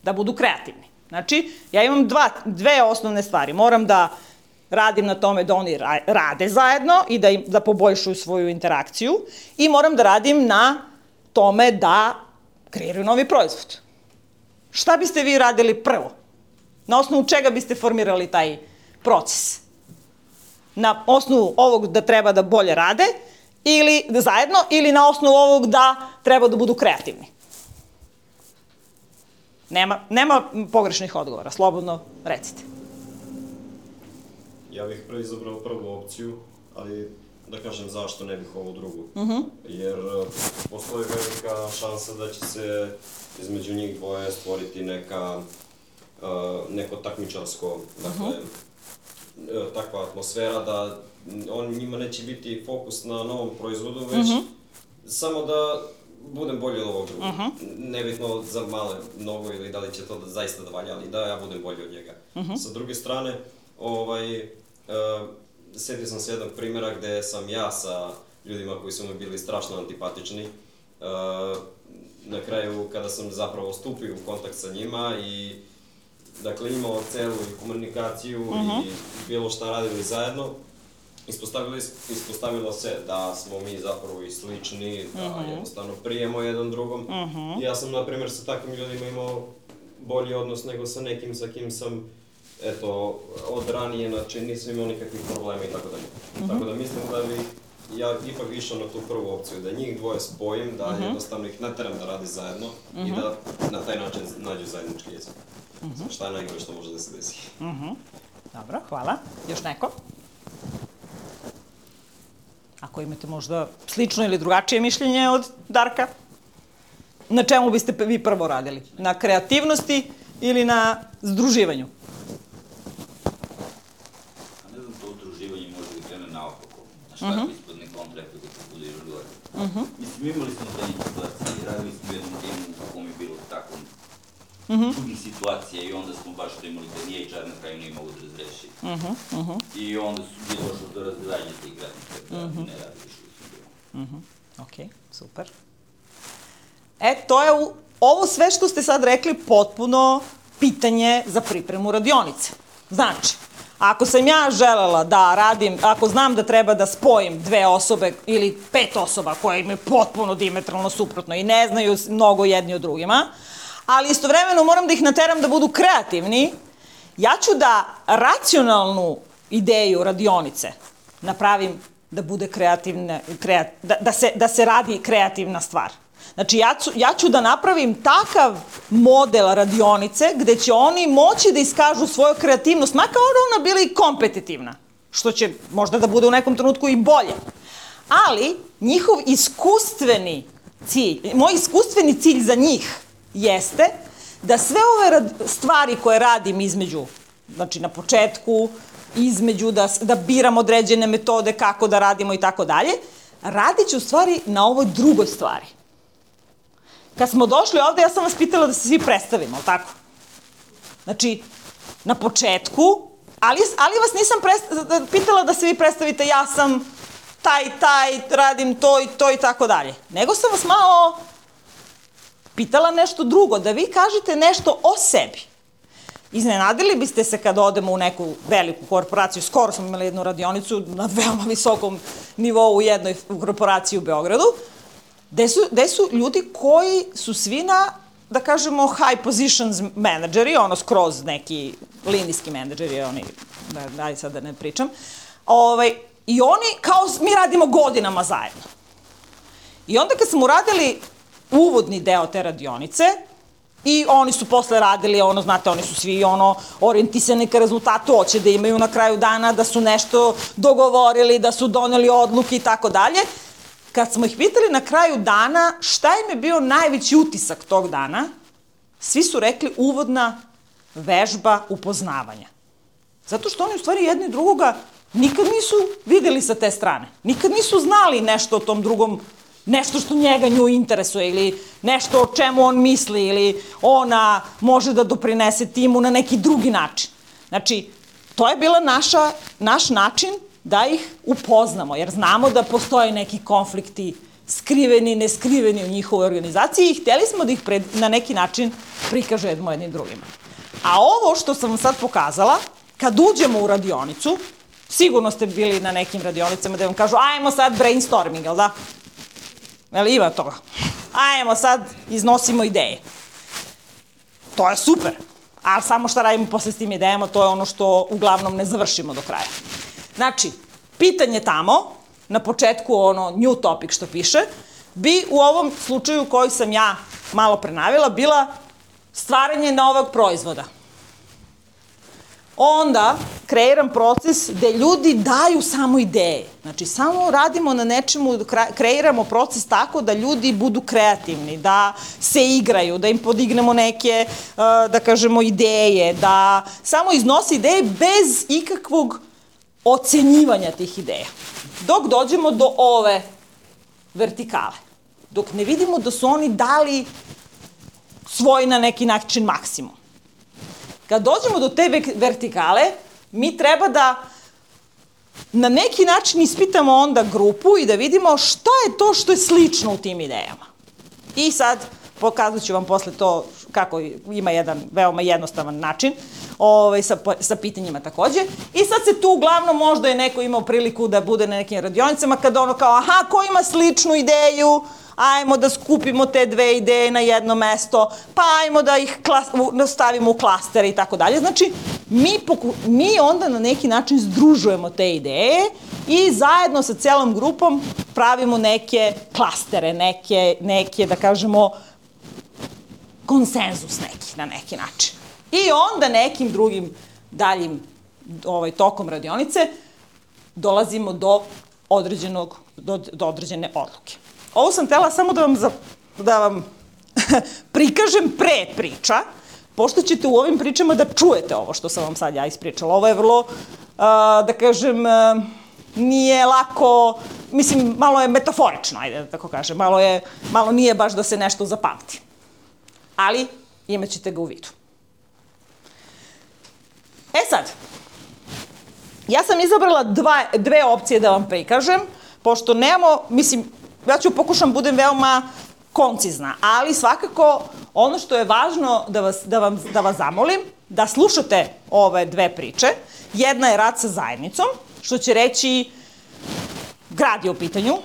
Da budu kreativni. Znači, ja imam dve osnovne stvari. Moram da radim na tome da oni rade zajedno i da poboljšuju svoju interakciju i moram da radim na tome da kreiraju novi proizvod. Šta biste vi radili prvo? Na osnovu čega biste formirali taj proces? Na osnovu ovog da treba da bolje rade ili zajedno ili na osnovu ovog da treba da budu kreativni? Nema pogrešnih odgovora, slobodno recite. Ja bih izabrao prvu opciju, ali da kažem zašto ne bih ovu drugu. Jer postoji velika šansa da će se između njih dvoje stvoriti neko takmičarsko, dakle, takva atmosfera da njima neće biti fokus na novom proizvodu, već samo da budem bolji od ovog drugog. Nebitno za male mnogo ili da li će to zaista da valja, ali da ja budem bolji od njega. Sa druge strane, sjetio sam se jednog primjera gde sam ja sa ljudima koji su mi bili strašno antipatični, na kraju kada sam zapravo stupio u kontakt sa njima i dakle imao celu komunikaciju i bilo šta radili zajedno, ispostavilo se da smo mi zapravo i slični, da jednostavno prijemo jedan drugom. Ja sam, na primjer, sa takvim ljudima imao bolji odnos nego sa nekim sa kim sam, eto, od ranije, znači nisam imao nikakvih problema i tako dalje. Tako da mislim da bih ja ipak išao na tu prvu opciju, da njih dvoje spojim, da jednostavno ih nateram da radi zajedno i da na taj način nađu zajednički jezik. Šta je najgore što može da se desi. Dobro, hvala. Još neko? Ako imate možda slično ili drugačije mišljenje od Darka, na čemu biste vi prvo radili? Na kreativnosti ili na združivanju? Ne znam, to udruživanje može da krene naopako. Na šta je ispadne kontrakt da se bude još gore. Mislim, imali smo zadnje situacije, radili smo u jednom timu u kom je bilo tako drugih situacija i onda smo baš to imali da nije HR na kraju nije mogu da razreši. I onda je došlo do razgledanja tih radnika da ne radi više u svom. Ok, super. To je ovo sve što ste sad rekli potpuno pitanje za pripremu radionice. Znači, ako sam ja želela da radim, ako znam da treba da spojim dve osobe ili 5 osoba koje imaju potpuno dijametralno suprotno i ne znaju mnogo jedni od drugima, ali istovremeno moram da ih nateram da budu kreativni, ja ću da racionalnu ideju radionice napravim da bude kreativna, da se radi kreativna stvar. Znači, ja ću da napravim takav model radionice gde će oni moći da iskažu svoju kreativnost, makar ona bila i kompetitivna, što će možda da bude u nekom trenutku i bolje. Ali, njihov iskustveni cilj, moj iskustveni cilj za njih jeste da sve ove stvari koje radim između, znači na početku, između da biram određene metode kako da radimo i tako dalje, radit ću u stvari na ovoj drugoj stvari. Kad smo došli ovde, ja sam vas pitala da se svi predstavimo, ali tako? Znači, na početku, ali vas nisam pitala da se vi predstavite, ja sam taj, radim to i tako dalje. Nego sam vas malo pitala nešto drugo, da vi kažete nešto o sebi. Iznenadili biste se kad odemo u neku veliku korporaciju, skoro smo imali jednu radionicu na veoma visokom nivou u jednoj korporaciji u Beogradu, gde su ljudi koji su svi na, da kažemo, high positions menadžeri, ono skroz neki linijski menadžeri, oni, daj sad da ne pričam, i oni kao mi radimo godinama zajedno. I onda kad smo uradili uvodni deo te radionice, i oni su posle radili, znate, oni su svi orijentisani ka rezultatu, hoće da imaju na kraju dana, da su nešto dogovorili, da su doneli odluke i tako dalje. Kad smo ih pitali na kraju dana šta im je bio najveći utisak tog dana, svi su rekli uvodna vežba upoznavanja. Zato što oni u stvari jedni drugoga nikad nisu videli sa te strane. Nikad nisu znali nešto o tom drugom, nešto što njega nju interesuje ili nešto o čemu on misli ili ona može da doprinese timu na neki drugi način. Znači, to je bila naš način da ih upoznamo, jer znamo da postoje neki konflikti skriveni, neskriveni u njihovoj organizaciji i hteli smo da ih na neki način prikažemo jednim drugima. A ovo što sam vam sad pokazala, kad uđemo u radionicu, sigurno ste bili na nekim radionicama da vam kažu ajmo sad brainstorming, jel da? Jel ima toga? Ajmo sad iznosimo ideje. To je super, ali samo šta radimo posle s tim idejama, to je ono što uglavnom ne završimo do kraja. Znači, pitanje tamo, na početku ono new topic što piše, bi u ovom slučaju koji sam ja malo prenavila bila stvaranje novog proizvoda. Onda kreiram proces gde ljudi daju samo ideje. Znači, samo radimo na nečemu, kreiramo proces tako da ljudi budu kreativni, da se igraju, da im podignemo neke, da kažemo, ideje, da samo iznose ideje bez ikakvog ocenjivanja tih ideja. Dok dođemo do ove vertikale. Dok ne vidimo da su oni dali svoj na neki način maksimum. Kad dođemo do te vertikale, mi treba da na neki način ispitamo onda grupu i da vidimo šta je to što je slično u tim idejama. I sad pokazat ću vam posle to kako ima jedan veoma jednostavan način sa pitanjima takođe. I sad se tu uglavnom možda je neko imao priliku da bude na nekim radionicama kada ono kao aha, ko ima sličnu ideju, ajmo da skupimo te dve ideje na jedno mesto, pa ajmo da ih stavimo u klastere i tako dalje. Znači, mi onda na neki način združujemo te ideje i zajedno sa celom grupom pravimo neke klastere, neke da kažemo, konsenzus neki na neki način. I onda nekim drugim daljim tokom radionice dolazimo do određene odluke. Ovo sam htela samo da vam prikažem pre priča, pošto ćete u ovim pričama da čujete ovo što sam vam sad ja ispričala. Ovo je vrlo, da kažem, nije lako, mislim, malo je metaforično, ajde da tako kažem, malo nije baš da se nešto zapamti. Ali imat ćete ga u vidu. E sad, ja sam izabrala dve opcije da vam prikažem, pošto nemamo, mislim, ja ću pokušam budem veoma koncizna, ali svakako ono što je važno da vas zamolim, da slušate ove dve priče. Jedna je rad sa zajednicom, što će reći grad je u pitanju.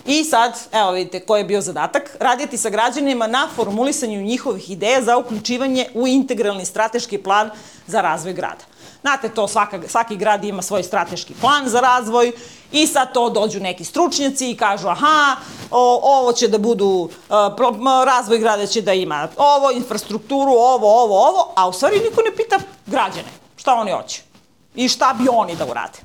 I sad, evo vidite koji je bio zadatak, raditi sa građanima na formulisanju njihovih ideja za uključivanje u integralni strateški plan za razvoj grada. Znate, to svaki grad ima svoj strateški plan za razvoj i sad to dođu neki stručnjaci i kažu aha, ovo će da budu, razvoj grada će da ima ovo, infrastrukturu, ovo, a u stvari niko ne pita građane šta oni hoće i šta bi oni da urade.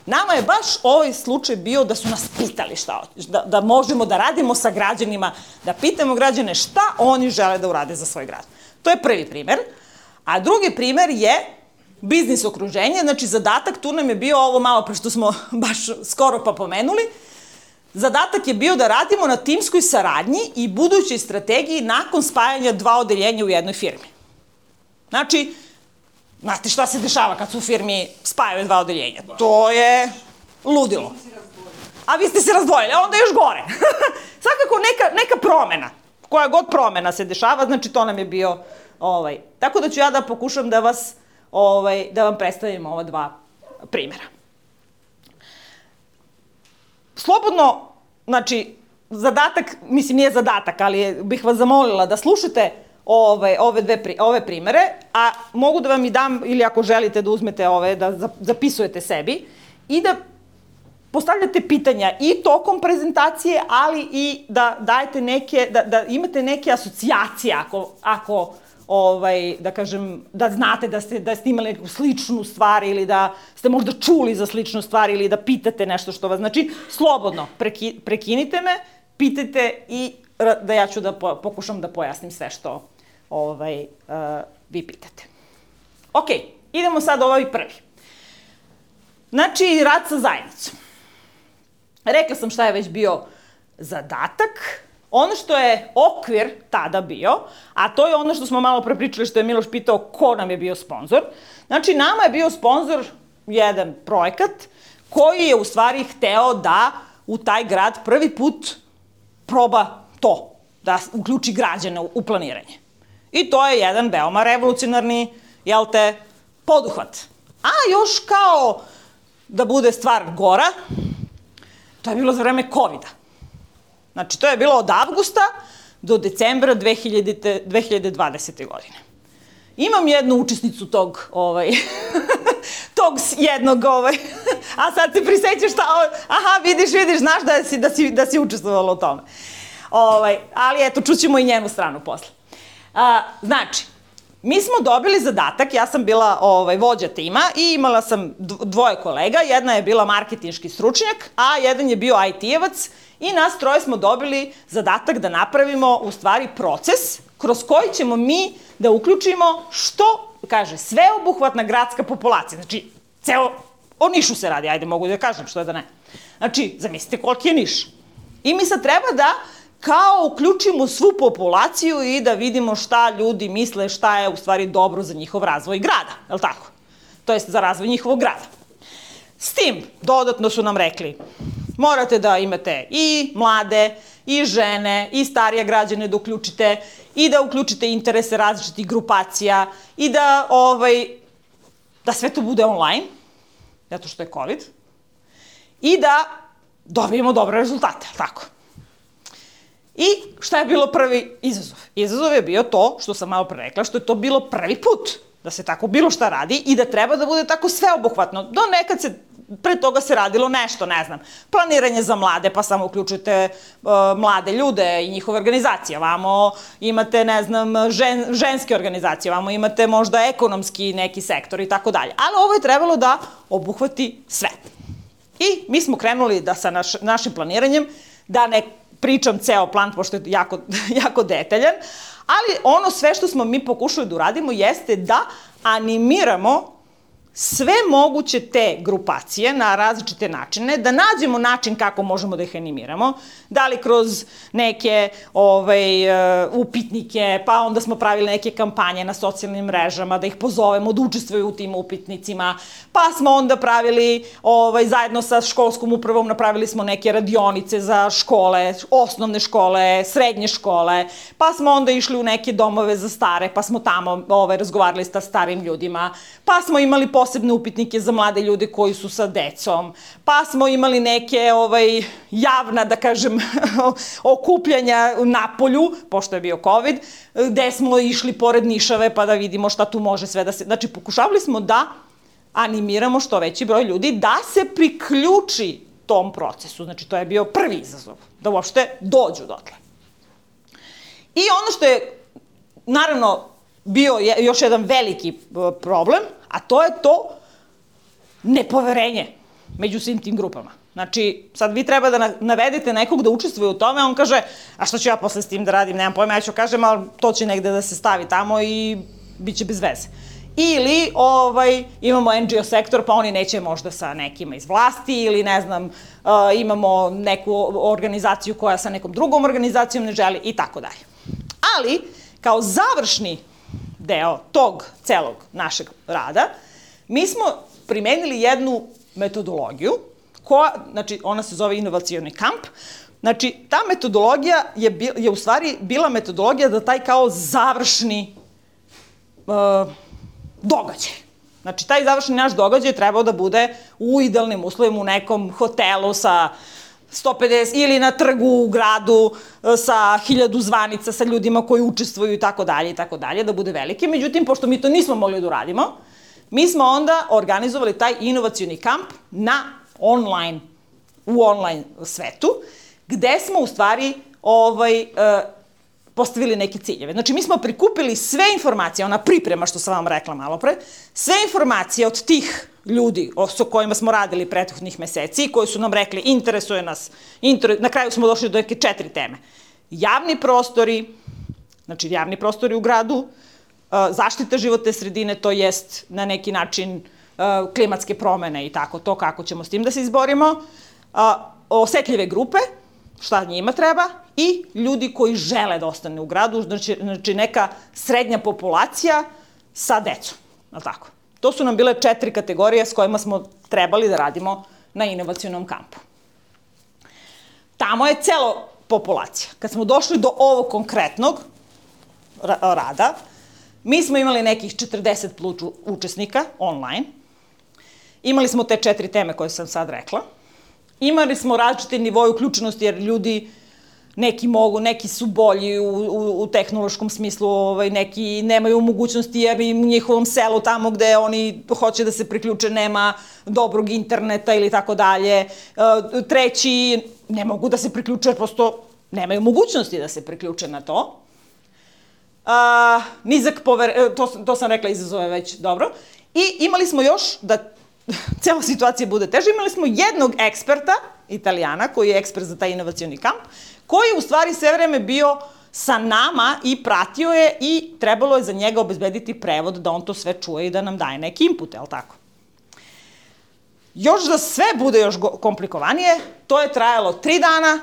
Nama je baš ovaj slučaj bio da su nas pitali šta hoće, da možemo da radimo sa građanima, da pitamo građane šta oni žele da urade za svoj grad. To je prvi primer. A drugi primer je biznis okruženje, znači zadatak tu nam je bio ovo malo pre što smo baš skoro pa pomenuli. Zadatak je bio da radimo na timskoj saradnji i budućoj strategiji nakon spajanja dva odeljenja u jednoj firmi. Znači, znate šta se dešava kad su u firmi spajaju dva odeljenja? To je ludilo. A vi ste se razdvojili, onda je još gore. Svakako neka promena, koja god promena se dešava, znači to nam je bio, tako da ću ja da pokušam da vam predstavim ova dva primjera. Slobodno, znači, zadatak, mislim nije zadatak, ali bih vas zamolila da slušate ove primere, a mogu da vam i dam, ili ako želite da uzmete da zapisujete sebi i da postavljate pitanja i tokom prezentacije, ali i da dajete da imate neke asocijacije ako da kažem, da znate da ste imali neku sličnu stvar ili da ste možda čuli za sličnu stvar ili da pitate nešto što vas, znači, slobodno prekinite me, pitajte i da ja ću da pokušam da pojasnim sve što vi pitate. Ok, idemo sad ovaj prvi. Znači, rad sa zajednicom. Rekla sam šta je već bio zadatak ono što je okvir tada bio, a to je ono što smo malo prepričali, što je Miloš pitao ko nam je bio sponsor. Znači, nama je bio sponsor jedan projekat koji je u stvari hteo da u taj grad prvi put proba to, da uključi građane u planiranje. I to je jedan veoma revolucionarni, poduhvat. A još kao da bude stvar gora, to je bilo za vreme COVID-a. Znači, to je bilo od avgusta do decembra 2020. godine. Imam jednu učesnicu tog jednog, a sad se prisećaš šta, aha, vidiš, znaš da si učestvovala u tome. Ali eto, čućemo i njenu stranu posle. Znači, mi smo dobili zadatak, ja sam bila vođa tima i imala sam dvoje kolega, jedna je bila marketinški stručnjak, a jedan je bio IT-evac i nas troje smo dobili zadatak da napravimo u stvari proces kroz koji ćemo mi da uključimo što, kaže, sveobuhvatna gradska populacija. Znači, o Nišu se radi, ajde mogu da kažem, što je da ne. Znači, zamislite koliki je Niš. I mi sad treba da kao uključimo svu populaciju i da vidimo šta ljudi misle, šta je u stvari dobro za njihov razvoj grada, je li tako? To jest za razvoj njihovog grada. S tim, dodatno su nam rekli, morate da imate i mlade, i žene, i starije građane da uključite, i da uključite interese različitih grupacija, i da sve to bude online, zato što je COVID, i da dobijemo dobre rezultate, je li tako? I šta je bilo prvi izazov? Izazov je bio to, što sam malo pre rekla, što je to bilo prvi put da se tako bilo šta radi i da treba da bude tako sveobuhvatno. Do nekad pre toga se radilo nešto, ne znam, planiranje za mlade, pa samo uključujete mlade ljude i njihove organizacije. Vamo imate, ne znam, ženske organizacije, vamo imate možda ekonomski neki sektor i tako dalje. Ali ovo je trebalo da obuhvati sve. I mi smo krenuli da sa našim planiranjem, da ne pričam ceo plan, pošto je jako detaljan, ali ono sve što smo mi pokušali da uradimo jeste da animiramo sve moguće te grupacije na različite načine, da nađemo način kako možemo da ih animiramo, da li kroz neke upitnike, pa onda smo pravili neke kampanje na socijalnim mrežama, da ih pozovemo da učestvuju u tim upitnicima, pa smo onda pravili, zajedno sa školskom upravom napravili smo neke radionice za škole, osnovne škole, srednje škole, pa smo onda išli u neke domove za stare, pa smo tamo razgovarali sa starim ljudima, pa smo imali posebne upitnike za mlade ljude koji su sa decom, pa smo imali neke javna, da kažem, okupljanja na polju, pošto je bio COVID, gde smo išli pored Nišave pa da vidimo šta tu može sve da se... Znači, pokušavali smo da animiramo što veći broj ljudi da se priključi tom procesu. Znači, to je bio prvi izazov, da uopšte dođu dotle. I ono što je, naravno, bio još jedan veliki problem, a to je to nepoverenje među svim tim grupama. Znači, sad vi treba da navedete nekog da učestvuje u tome, on kaže, a što ću ja posle s tim da radim, nemam pojma, ja ću kažem, ali to će negde da se stavi tamo i bit će bez veze. Ili imamo NGO sektor, pa oni neće možda sa nekima iz vlasti, ili ne znam, imamo neku organizaciju koja sa nekom drugom organizacijom ne želi i tako dalje. Ali, kao završni deo tog celog našeg rada, mi smo primenili jednu metodologiju, znači ona se zove inovacioni kamp. Znači, ta metodologija je u stvari bila metodologija da taj kao završni događaj. Znači, taj završni naš događaj trebao da bude u idealnim uslovima u nekom hotelu sa 150 ili na trgu u gradu sa 1000 zvanica sa ljudima koji učestvuju i tako dalje, da bude veliki. Međutim, pošto mi to nismo mogli da uradimo, mi smo onda organizovali taj inovacioni kamp u online svetu, gde smo u stvari postavili neke ciljeve. Znači, mi smo prikupili sve informacije, ona priprema što sam vam rekla malo pre, sve informacije od tih ljudi sa kojima smo radili prethodnih meseci, koji su nam rekli interesuje nas, na kraju smo došli do neke 4 teme. Javni prostori, znači javni prostori u gradu, zaštita životne sredine, to jest na neki način klimatske promene i tako to, kako ćemo s tim da se izborimo, osetljive grupe, šta njima treba, i ljudi koji žele da ostane u gradu, znači neka srednja populacija sa decom, ali tako? To su nam bile 4 kategorije s kojima smo trebali da radimo na inovacionom kampu. Tamo je celo populacija. Kad smo došli do ovog konkretnog rada, mi smo imali nekih 40 plus učesnika online, imali smo te 4 teme koje sam sad rekla, imali smo različite nivoje uključenosti jer ljudi neki mogu, neki su bolji u tehnološkom smislu, neki nemaju mogućnosti jer im u njihovom selu tamo gde oni hoće da se priključe nema dobrog interneta ili tako dalje. Treći ne mogu da se priključe jer prosto nemaju mogućnosti da se priključe na to. To sam rekla, izazove već dobro. I imali smo još, da cela situacija bude teža, imali smo jednog eksperta, Italijana, koji je ekspert za taj inovacioni kamp, koji je u stvari sve vreme bio sa nama i pratio je i trebalo je za njega obezbediti prevod da on to sve čuje i da nam daje neki input, je li tako? Još da sve bude još komplikovanije, to je trajalo 3 dana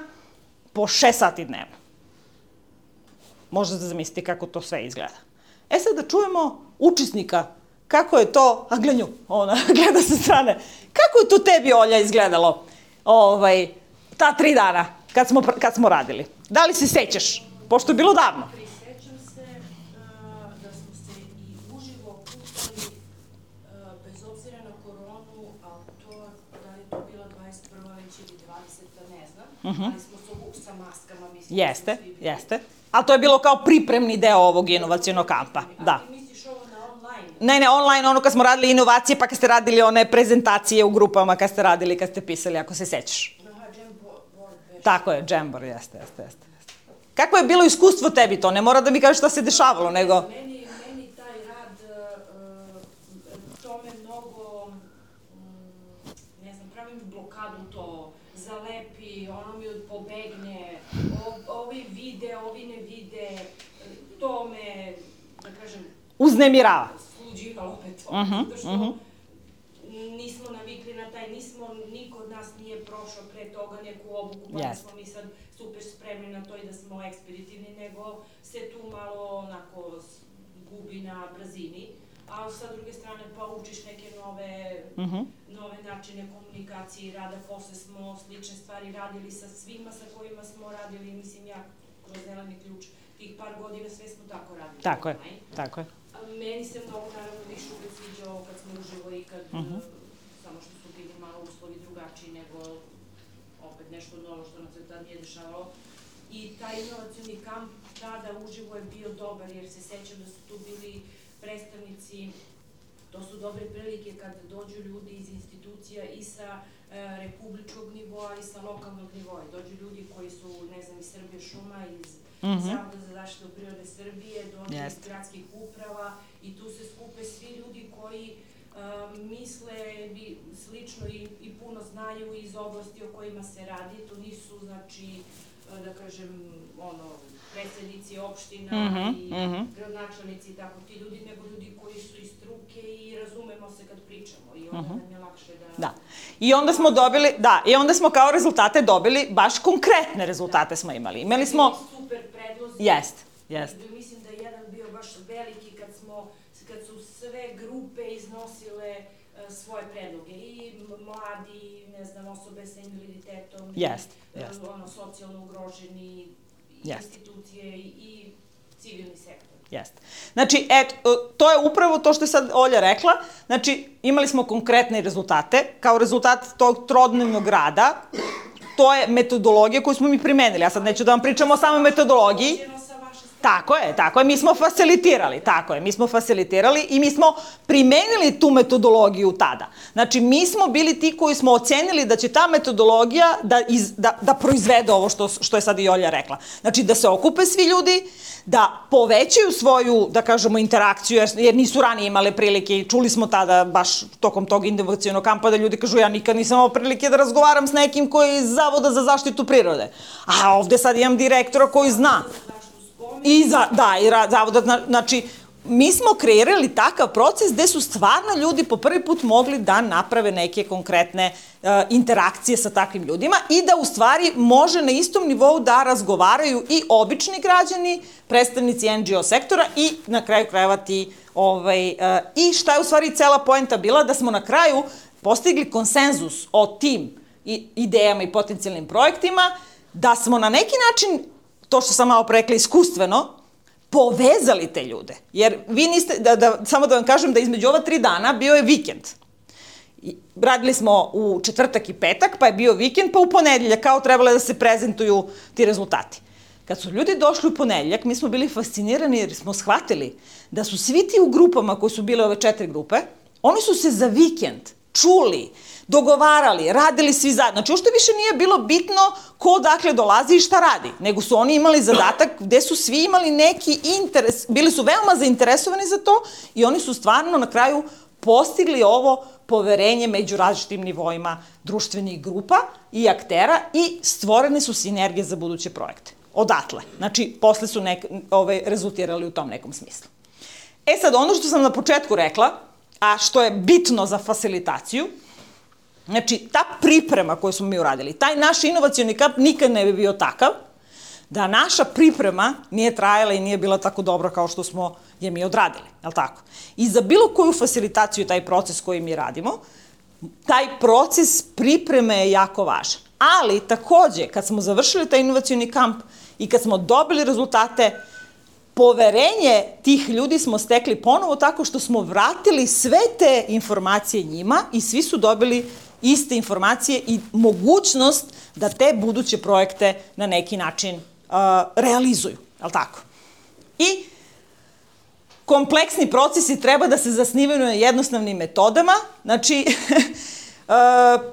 po 6 sati dnevno. Možete zamisliti kako to sve izgleda. E sad da čujemo učesnika, kako je to, a gle nju, ona gleda sa strane, kako je to tebi, Olja, izgledalo ta 3 dana kad smo radili? Da li se sećaš? Pošto je bilo davno. Prisećam se da smo se i uživo puštali, bez obzira na koronu, ali to, da li je to bila 21. već ili 20. ne znam, ali smo se sa maskama, mislim. Jeste. Ali to je bilo kao pripremni deo ovog inovacionog kampa, da. Ali ti misliš ovo na online? Ne, online, ono kad smo radili inovacije, pa kad ste radili one prezentacije u grupama, kad ste radili, kad ste pisali, ako se sećaš. Tako je, Jamboard, jeste. Kako je bilo iskustvo tebi to? Ne mora da mi kažeš šta se dešavalo, nego... Meni taj rad, to me mnogo, ne znam, pravim blokadu to, zalepi, ono mi pobegne, ovi vide, ovi ne vide, to me, da kažem... Uznemirava. Sluđivalo me to, zato što nismo navikli na taj, niko od nas nije prošao pre toga neku obuku, pa da smo mi sad super spremni na to i da smo ekspeditivni, nego se tu malo onako gubi na brzini, a sa druge strane pa učiš neke nove načine komunikacije i rada, posle smo slične stvari radili sa svima sa kojima smo radili, mislim ja kroz Zeleni ključ, tih par godina sve smo tako radili. Tako je. Meni se mnogo naravno više uvek sviđao kad smo uživo i kad, samo što su bili malo uslovi drugačiji nego opet nešto novo što nam se tad nije dešavalo. I taj inovacioni kamp tada uživo je bio dobar jer se sećam da su tu bili predstavnici, to su dobre prilike kad dođu ljudi iz institucija i sa republičkog nivoa i sa lokalnog nivoa. Dođu ljudi koji su, ne znam, iz Srbije šuma, iz Zavoda za zaštitu prirode Srbije, dođu iz gradskih uprava i tu se skupe svi ljudi koji misle slično i puno znaju iz oblasti o kojima se radi. To nisu, znači, da kažem, predsednici opština i gradonačelnici i tako ti ljudi, nego ljudi koji su iz struke i razumemo se kad pričamo i onda nam je lakše da... Da. I onda smo dobili, i onda smo kao rezultate dobili, baš konkretne rezultate smo imali. Imali smo... Super predlozi. Jeste. Mislim da je jedan bio baš veliki kad su sve grupe iznosile svoje predloge. I mladi, ne znam, osobe sa invaliditetom, socijalno ugroženi, institucije i civilni sektor. Jeste. Znači, to je upravo to što je sad Olja rekla. Znači, imali smo konkretne rezultate. Kao rezultat tog trodnevnog rada, to je metodologija koju smo mi primenili. Ja sad neću da vam pričam o samoj metodologiji. Tako je, mi smo facilitirali i mi smo primenili tu metodologiju tada. Znači, mi smo bili ti koji smo ocenili da će ta metodologija da proizvede ovo što je sad i Olja rekla. Znači, da se okupe svi ljudi, da povećaju svoju, da kažemo, interakciju, jer nisu ranije imale prilike i čuli smo tada, baš tokom tog inovacionog kampa, da ljudi kažu ja nikad nisam imao prilike da razgovaram s nekim koji je iz Zavoda za zaštitu prirode. A ovde sad imam direktora koji zna. I Zavoda, znači, mi smo kreirali takav proces gde su stvarno ljudi po prvi put mogli da naprave neke konkretne interakcije sa takvim ljudima i da u stvari može na istom nivou da razgovaraju i obični građani, predstavnici NGO sektora i na kraju krajeva ti i šta je u stvari cela poenta bila, da smo na kraju postigli konsenzus o tim idejama i potencijalnim projektima, da smo na neki način, to što sam malo prerekla iskustveno, povezali te ljude. Jer vi niste, samo da vam kažem da između ova 3 dana bio je vikend. Radili smo u četvrtak i petak, pa je bio vikend, pa u ponedeljak kao trebalo da se prezentuju ti rezultati. Kad su ljudi došli u ponedeljak, mi smo bili fascinirani jer smo shvatili da su svi ti u grupama koji su bile ove 4 grupe, oni su se za vikend čuli, dogovarali, radili svi zajedno. Znači, uopšte više nije bilo bitno ko dakle dolazi i šta radi, nego su oni imali zadatak gde su svi imali neki interes, bili su veoma zainteresovani za to i oni su stvarno na kraju postigli ovo poverenje među različitim nivoima društvenih grupa i aktera i stvorene su sinergije za buduće projekte. Odatle. Znači, posle su rezultirali u tom nekom smislu. Sad, ono što sam na početku rekla, a što je bitno za fasilitaciju, znači, ta priprema koju smo mi uradili, taj naš inovacioni kamp nikad ne bi bio takav da naša priprema nije trajala i nije bila tako dobra kao što smo je mi odradili, je li tako? I za bilo koju fasilitaciju, taj proces koji mi radimo, taj proces pripreme je jako važan. Ali, takođe, kad smo završili taj inovacioni kamp i kad smo dobili rezultate, poverenje tih ljudi smo stekli ponovo tako što smo vratili sve te informacije njima i svi su dobili iste informacije i mogućnost da te buduće projekte na neki način realizuju, je li tako? I kompleksni procesi treba da se zasnivaju na jednostavnim metodama, znači,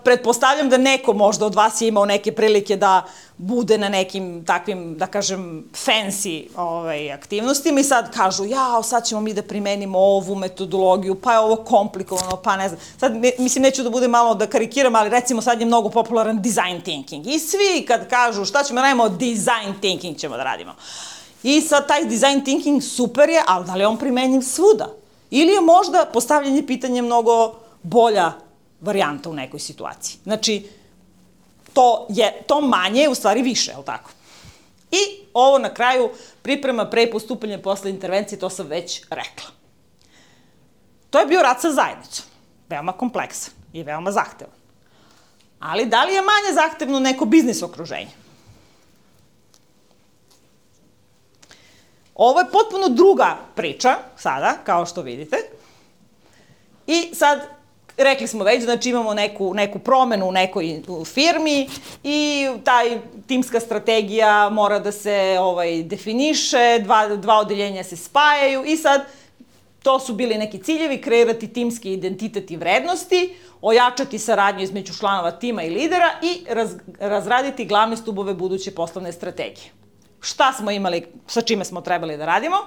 pretpostavljam da neko možda od vas je imao neke prilike da bude na nekim takvim, da kažem, fancy aktivnostima i sad kažu, sad ćemo mi da primenimo ovu metodologiju, pa je ovo komplikovano, pa ne znam. Sad, mislim, neću da bude malo da karikiram, ali recimo sad je mnogo popularan design thinking. I svi kad kažu šta ćemo da radimo, design thinking ćemo da radimo. I sad taj design thinking super je, ali da li je on primenjiv svuda? Ili je možda postavljanje pitanja mnogo bolja varijanta u nekoj situaciji. Znači, to manje je u stvari više, je li tako? I ovo na kraju, priprema pre postupanja posle intervencije, to sam već rekla. To je bio rad sa zajednicom. Veoma kompleksan i veoma zahtevan. Ali da li je manje zahtevno neko biznis okruženje? Ovo je potpuno druga priča, sada, kao što vidite. I sad, rekli smo već, znači imamo neku promenu u nekoj firmi i taj timska strategija mora da se definiše, dva odeljenja se spajaju i sad to su bili neki ciljevi, kreirati timski identitet i vrednosti, ojačati saradnju između članova tima i lidera i razraditi glavne stubove buduće poslovne strategije. Šta smo imali, sa čime smo trebali da radimo?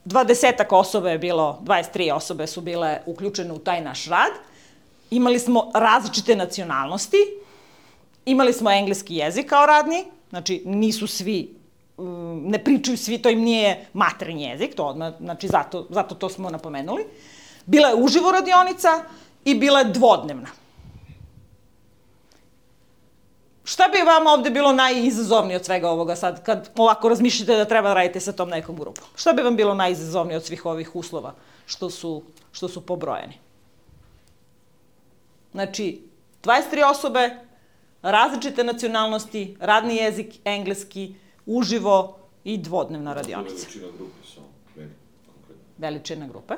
20 osoba je bilo, 23 osobe su bile uključene u taj naš rad. Imali smo različite nacionalnosti, imali smo engleski jezik kao radni, znači nisu svi, ne pričaju svi, to im nije maternji jezik, to odmah, znači zato to smo napomenuli. Bila je uživo radionica i bila je dvodnevna. Šta bi vam ovde bilo najizazovnije od svega ovoga sad, kad ovako razmišljate da treba da radite sa tom nekom grupom? Šta bi vam bilo najizazovnije od svih ovih uslova što su pobrojeni? Znači, 23 osobe, različite nacionalnosti, radni jezik, engleski, uživo i dvodnevna radionica. Veličina grupe samo, meni konkretno. Veličina grupe,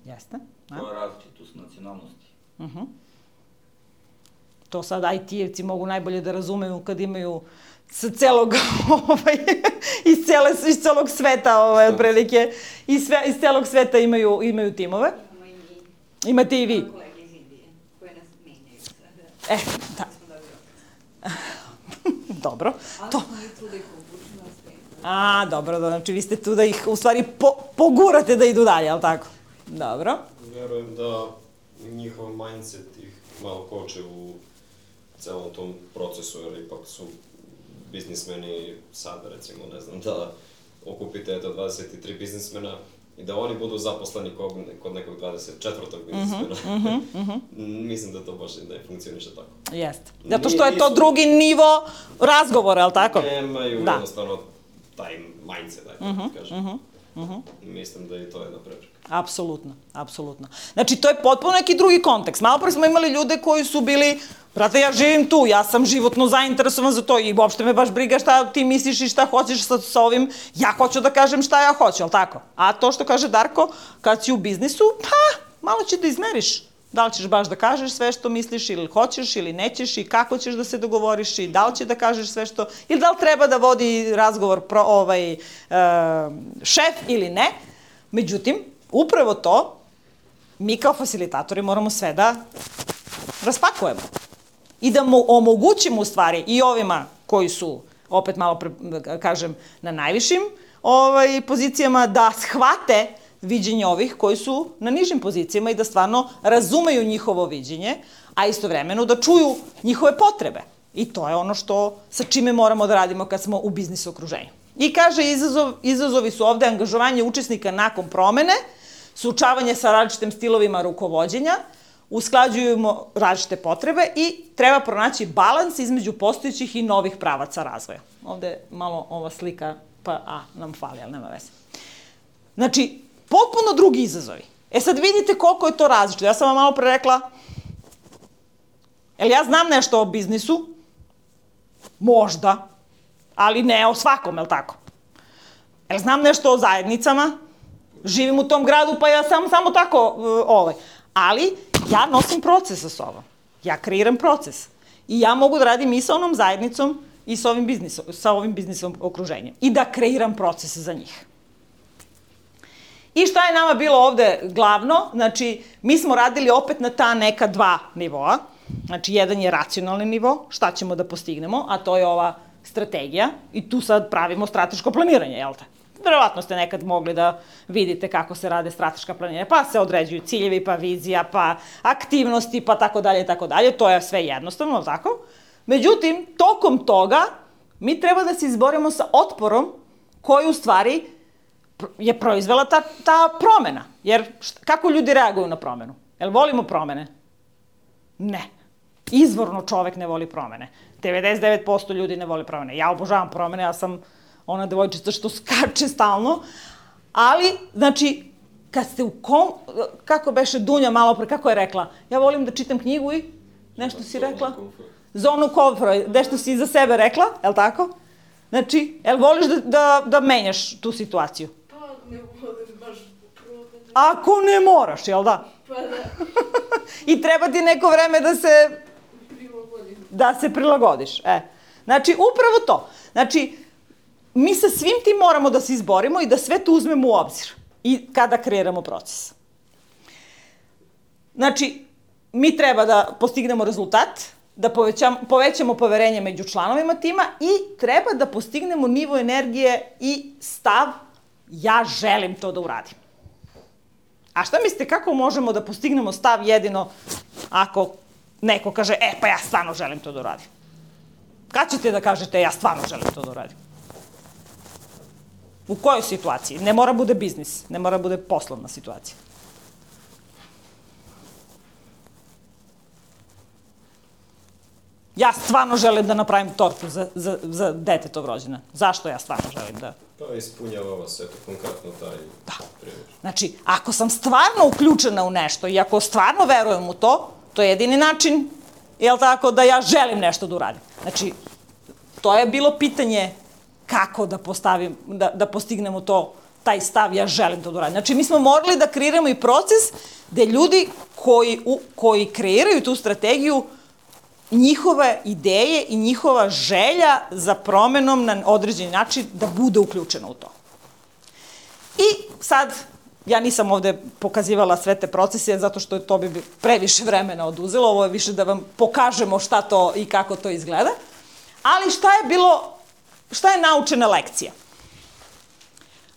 jeste. To je različitost nacionalnosti. To sad IT-evci mogu najbolje da razumeju kad imaju sa celog, iz celog sveta, otprilike, iz celog sveta imaju timove. Imate i vi. Da. Dobro. Dobro, znači vi ste tu da ih u stvari pogurate da idu dalje, ali tako? Dobro. Verujem da njihov mindset ih malo koče u celom tom procesu, jer ipak su biznismeni sad, recimo, ne znam, da okupite 23 biznismena, i da oni budu zaposleni kod nekog 24. biznismena. Mislim da to baš ne funkcioniše tako. Jeste. Zato što je to drugi nivo razgovora, je li tako? Nemaju jednostavno taj mindset, da kažem. Mislim da i to je jedna prepreka. Apsolutno, apsolutno. Znači, to je potpuno neki drugi kontekst. Malo pre smo imali ljude koji su bili, brate, ja živim tu, ja sam životno zainteresovan za to i uopšte me baš briga šta ti misliš i šta hoćeš sa ovim, ja hoću da kažem šta ja hoću, ali tako? A to što kaže Darko, kad si u biznisu, pa, malo će da izmeriš. Da li ćeš baš da kažeš sve što misliš ili hoćeš ili nećeš i kako ćeš da se dogovoriš i da li će da kažeš sve što, ili da li treba da vodi razgovor šef ili ne. Međutim, upravo to, mi kao facilitatori moramo sve da raspakujemo i da omogućimo u stvari i ovima koji su, opet malo kažem, na najvišim pozicijama, da shvate viđenje ovih koji su na nižim pozicijama i da stvarno razumeju njihovo viđenje, a istovremeno da čuju njihove potrebe. I to je ono sa čime moramo da radimo kad smo u biznis okruženju. I kaže, izazovi su ovde angažovanje učesnika nakon promene, suočavanje sa različitim stilovima rukovođenja, usklađujemo različite potrebe i treba pronaći balans između postojećih i novih pravaca razvoja. Ovde malo ova slika, nam fali, ali nema veze. Znači, potpuno drugi izazovi. Sad vidite koliko je to različito. Ja sam vam malo pre rekla, jel ja znam nešto o biznisu? Možda, ali ne o svakom, jel tako? Jel znam nešto o zajednicama? Živim u tom gradu, pa ja samo tako, ali ja nosim proces sa sobom. Ja kreiram proces. I ja mogu da radim i sa onom zajednicom i sa ovim biznisom okruženjem. I da kreiram proces za njih. I šta je nama bilo ovde glavno? Znači, mi smo radili opet na ta neka dva nivoa. Znači, jedan je racionalni nivo, šta ćemo da postignemo, a to je ova strategija. I tu sad pravimo strateško planiranje, jel te? Verovatno ste nekad mogli da vidite kako se rade strateška planiranja, pa se određuju ciljevi, pa vizija, pa aktivnosti, pa tako dalje i tako dalje. To je sve jednostavno, tako? Međutim, tokom toga mi treba da se izborimo sa otporom koji u stvari je proizvela ta promena. Jer kako ljudi reaguju na promenu? Jel volimo promene? Ne. Izvorno čovek ne voli promene. 99% ljudi ne voli promene. Ja obožavam promene, ja sam ona devojčica što skače stalno, ali, znači, kad ste kako beše Dunja malo pre, kako je rekla, ja volim da čitam knjigu i nešto si rekla? Zonu komfora, nešto si za sebe rekla, je li tako? Znači, jel voliš da menjaš tu situaciju? Pa, ne volim baš promene. Ako ne moraš, jel da? Pa da. I treba ti neko vreme da se prilagodiš. Znači, upravo to. Znači, mi sa svim tim moramo da se izborimo i da sve to uzmemo u obzir i kada kreiramo proces. Znači, mi treba da postignemo rezultat, da povećamo poverenje među članovima tima i treba da postignemo nivo energije i stav ja želim to da uradim. A šta mislite, kako možemo da postignemo stav jedino ako neko kaže, pa ja stvarno želim to da uradim? Kad ćete da kažete, ja stvarno želim to da uradim? U kojoj situaciji? Ne mora bude biznis, ne mora bude poslovna situacija. Ja stvarno želim da napravim tortu za detetov rođendan. Zašto ja stvarno želim da... Pa ispunjava vas, eto, konkretno taj primjer. Znači, ako sam stvarno uključena u nešto i ako stvarno verujem u to, to je jedini način, jel tako, da ja želim nešto da uradim. Znači, to je bilo pitanje kako da postignemo taj stav, ja želim to da uradim. Znači, mi smo morali da kreiramo i proces gde ljudi koji kreiraju tu strategiju, njihove ideje i njihova želja za promenom na određeni način da bude uključena u to. I sad, ja nisam ovde pokazivala sve te procese, zato što to bi previše vremena oduzelo, ovo je više da vam pokažemo šta to i kako to izgleda, ali šta je naučena lekcija?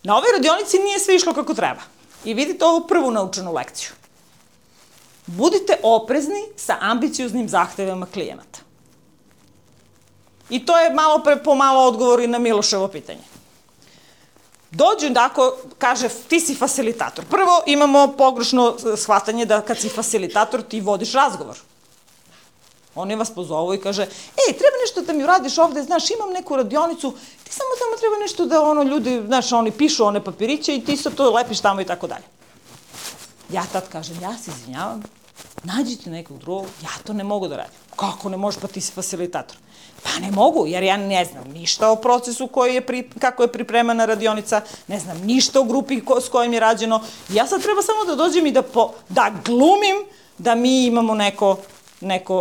Na ovoj radionici nije sve išlo kako treba. I vidite ovu prvu naučenu lekciju. Budite oprezni sa ambicioznim zahtevama klijenata. I to je malo pre pomalo odgovor i na Miloševo pitanje. dođu tako, kaže, ti si facilitator. Prvo imamo pogrešno shvatanje da kad si facilitator ti vodiš razgovor. Oni vas pozovu i kaže, treba nešto da mi uradiš ovde, znaš, imam neku radionicu, ti samo tamo treba nešto da ljudi, znaš, oni pišu one papiriće i ti sad to lepiš tamo i tako dalje. Ja tad kažem, ja se izvinjavam, nađite nekog drugog, ja to ne mogu da radim. Kako ne možeš, pa ti si facilitator? Pa ne mogu, jer ja ne znam ništa o procesu kako je pripremana radionica, ne znam ništa o grupi s kojim je rađeno. Ja sad treba samo da dođem i da glumim da mi imamo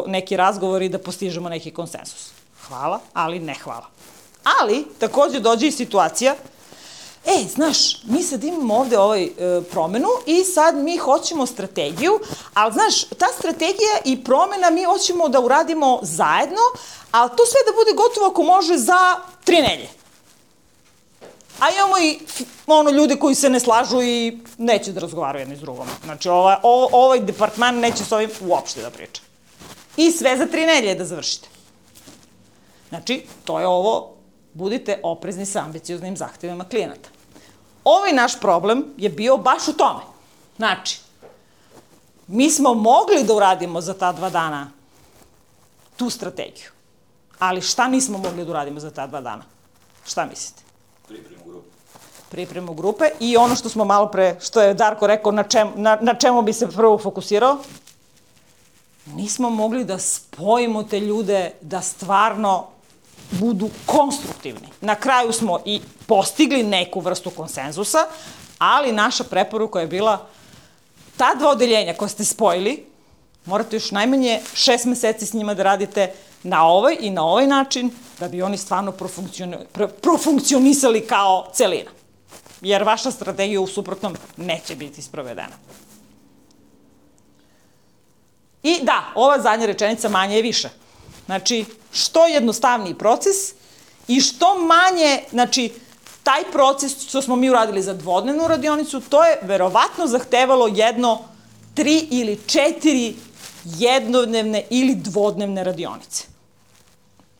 neki razgovor i da postižemo neki konsensus. Hvala, ali ne hvala. Ali, takođe dođe i situacija, znaš, mi sad imamo ovde promenu i sad mi hoćemo strategiju, ali znaš, ta strategija i promena mi hoćemo da uradimo zajedno, ali to sve da bude gotovo ako može za 3 nedelje. A imamo i ljude koji se ne slažu i neće da razgovaraju jedni s drugom. Znači, ovaj departman neće s ovim uopšte da priča. I sve za 3 nedelje da završite. Znači, to je ovo, budite oprezni sa ambicioznim zahtevima klijenata. Ovaj naš problem je bio baš u tome. Znači, mi smo mogli da uradimo za ta 2 dana tu strategiju. Ali šta nismo mogli da uradimo za ta 2 dana? Šta mislite? Pripremu grupe i ono što smo malo pre, što je Darko rekao, na čemu bi se prvo fokusirao, nismo mogli da spojimo te ljude da stvarno budu konstruktivni. Na kraju smo i postigli neku vrstu konsenzusa, ali naša preporuka je bila ta 2 odeljenja koje ste spojili, morate još najmanje 6 meseci s njima da radite na ovaj i na ovaj način, da bi oni stvarno profunkcionisali kao celina. Jer vaša strategija u suprotnom neće biti sprovedena. I da, ova zadnja rečenica manje je više. Znači, što jednostavniji proces i što manje, znači, taj proces što smo mi uradili za 2-dnevnu radionicu, to je verovatno zahtevalo 3 ili 4 jednodnevne ili 2-dnevne radionice.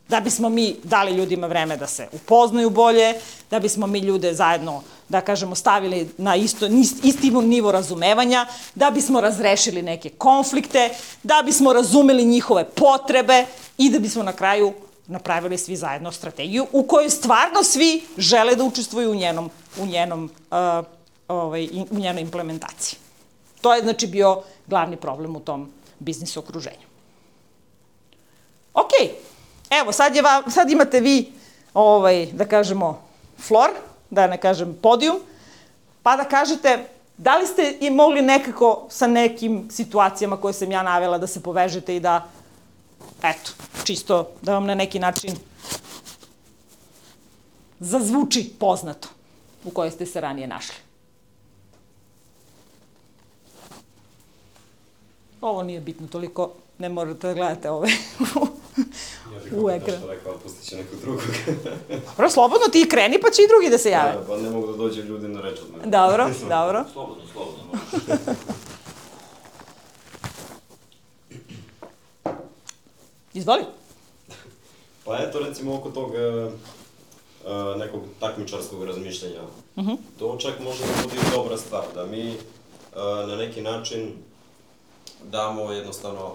Da bismo mi dali ljudima vreme da se upoznaju bolje, da bismo mi ljude zajedno, da kažemo, stavili na isti nivo razumevanja, da bismo razrešili neke konflikte, da bismo razumeli njihove potrebe i da bismo na kraju napravili svi zajedno strategiju u kojoj stvarno svi žele da učestvuju u njenoj implementaciji. To je, znači, bio glavni problem u tom biznis okruženju. Okej. Evo, sad imate vi, da kažemo, flor, da ne kažem podijum, pa da kažete da li ste i mogli nekako sa nekim situacijama koje sam ja navela da se povežete i da, eto, čisto da vam na neki način zazvuči poznato u kojoj ste se ranije našli. Ovo nije bitno toliko, ne morate da gledate ove u ekran. Ja bih nešto rekao, ali pustit će nekog drugog. Dobro, slobodno ti kreni, pa će i drugi da se jave. Da, pa ne mogu da dođe ljudi na reč od mene. Dobro. Slobodno. Izvoli. Pa eto, recimo, oko tog nekog takmičarskog razmišljanja. To čak može da bude dobra stvar, da mi na neki način damo jednostavno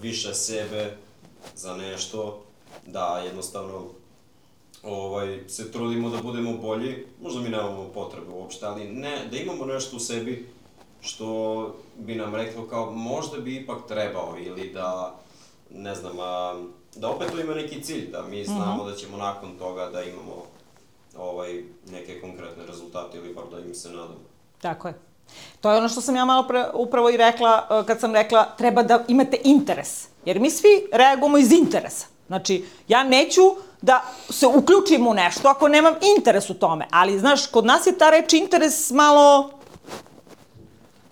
više sebe za nešto, da jednostavno se trudimo da budemo bolji, možda mi nemamo potrebe uopšte, ali ne, da imamo nešto u sebi što bi nam reklo kao možda bi ipak trebao ili da, ne znam, da opet to ima neki cilj, da mi znamo da ćemo nakon toga da imamo neke konkretne rezultate ili bar da im se nadamo. Tako je. To je ono što sam ja malo pre upravo i rekla, kad sam rekla treba da imate interes. Jer mi svi reagujemo iz interesa. Znači, ja neću da se uključim u nešto ako nemam interes u tome. Ali, znaš, kod nas je ta reč interes malo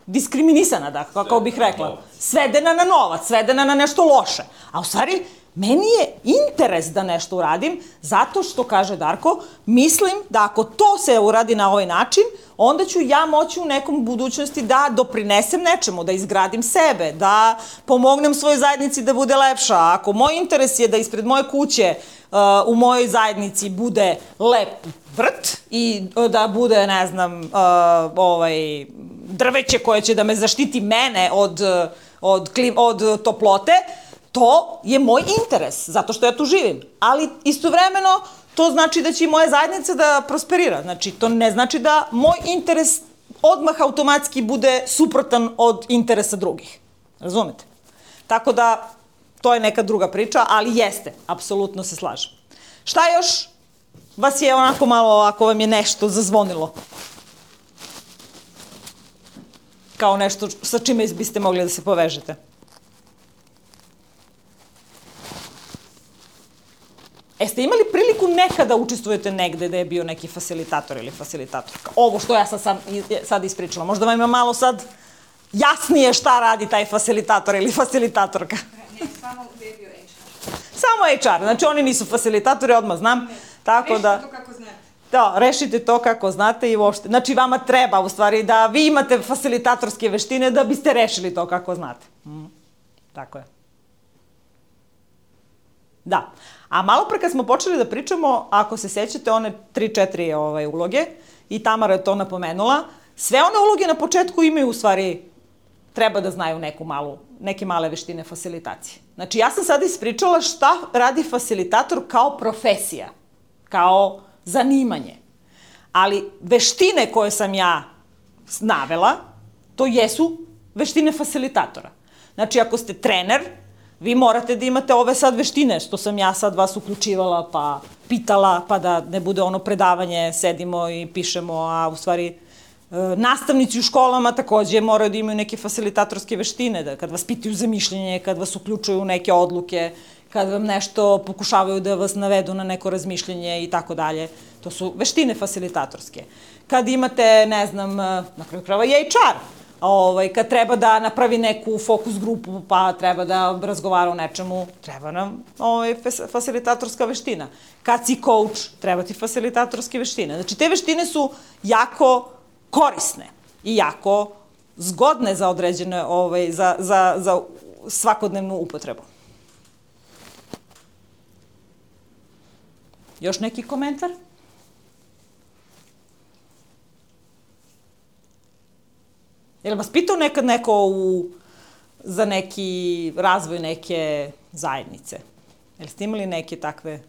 diskriminisana, da, kako bih rekla. Svedena na novac, svedena na nešto loše. A u stvari, Meni je interes da nešto uradim, zato što, kaže Darko, mislim da ako to se uradi na ovaj način, onda ću ja moći u nekom budućnosti da doprinesem nečemu, da izgradim sebe, da pomognem svojoj zajednici da bude lepša. Ako moj interes je da ispred moje kuće u mojoj zajednici bude lep vrt i da bude, ne znam, drveće koje će da me zaštiti mene od toplote, to je moj interes, zato što ja tu živim. Ali istovremeno to znači da će i moja zajednica da prosperira. Znači, to ne znači da moj interes odmah automatski bude suprotan od interesa drugih. Razumete? Tako da, to je neka druga priča, ali jeste, apsolutno se slažem. Šta još vas je onako malo, ako vam je nešto zazvonilo? Kao nešto sa čime biste mogli da se povežete? Ste imali priliku nekada učestvujete negde da je bio neki fasilitator ili fasilitatorka? Ovo što ja sad ispričala. Možda vam je malo sad jasnije šta radi taj fasilitator ili fasilitatorka. Ne, samo gde je bio HR. Samo HR, znači oni nisu fasilitatori, odmah znam. Tako da, rešite to kako znate. Da, rešite to kako znate i uopšte. Znači vama treba u stvari da vi imate fasilitatorske veštine da biste rešili to kako znate. Tako je. Da. A malo pre kad smo počeli da pričamo, ako se sećate one 3-4 uloge, i Tamara je to napomenula, sve one uloge na početku imaju u stvari, treba da znaju neke male veštine fasilitacije. Znači ja sam sada ispričala šta radi fasilitator kao profesija, kao zanimanje. Ali veštine koje sam ja navela, to jesu veštine fasilitatora. Znači ako ste trener, vi morate da imate ove sad veštine, što sam ja sad vas uključivala, pa pitala, pa da ne bude ono predavanje, sedimo i pišemo, a u stvari nastavnici u školama takođe moraju da imaju neke fasilitatorske veštine, da kad vas pitaju za mišljenje, kad vas uključuju u neke odluke, kad vam nešto pokušavaju da vas navedu na neko razmišljenje i tako dalje. To su veštine fasilitatorske. Kad imate, ne znam, na kraju krajeva i HR, kad treba da napravi neku fokus grupu, pa treba da razgovara o nečemu, treba nam fasilitatorska veština. Kad si coach, treba ti fasilitatorske veštine. Znači, te veštine su jako korisne i jako zgodne za određene, za svakodnevnu upotrebu. Još neki komentar? Je li vas pitao nekad neko za neki razvoj neke zajednice? Je li ste imali neke takve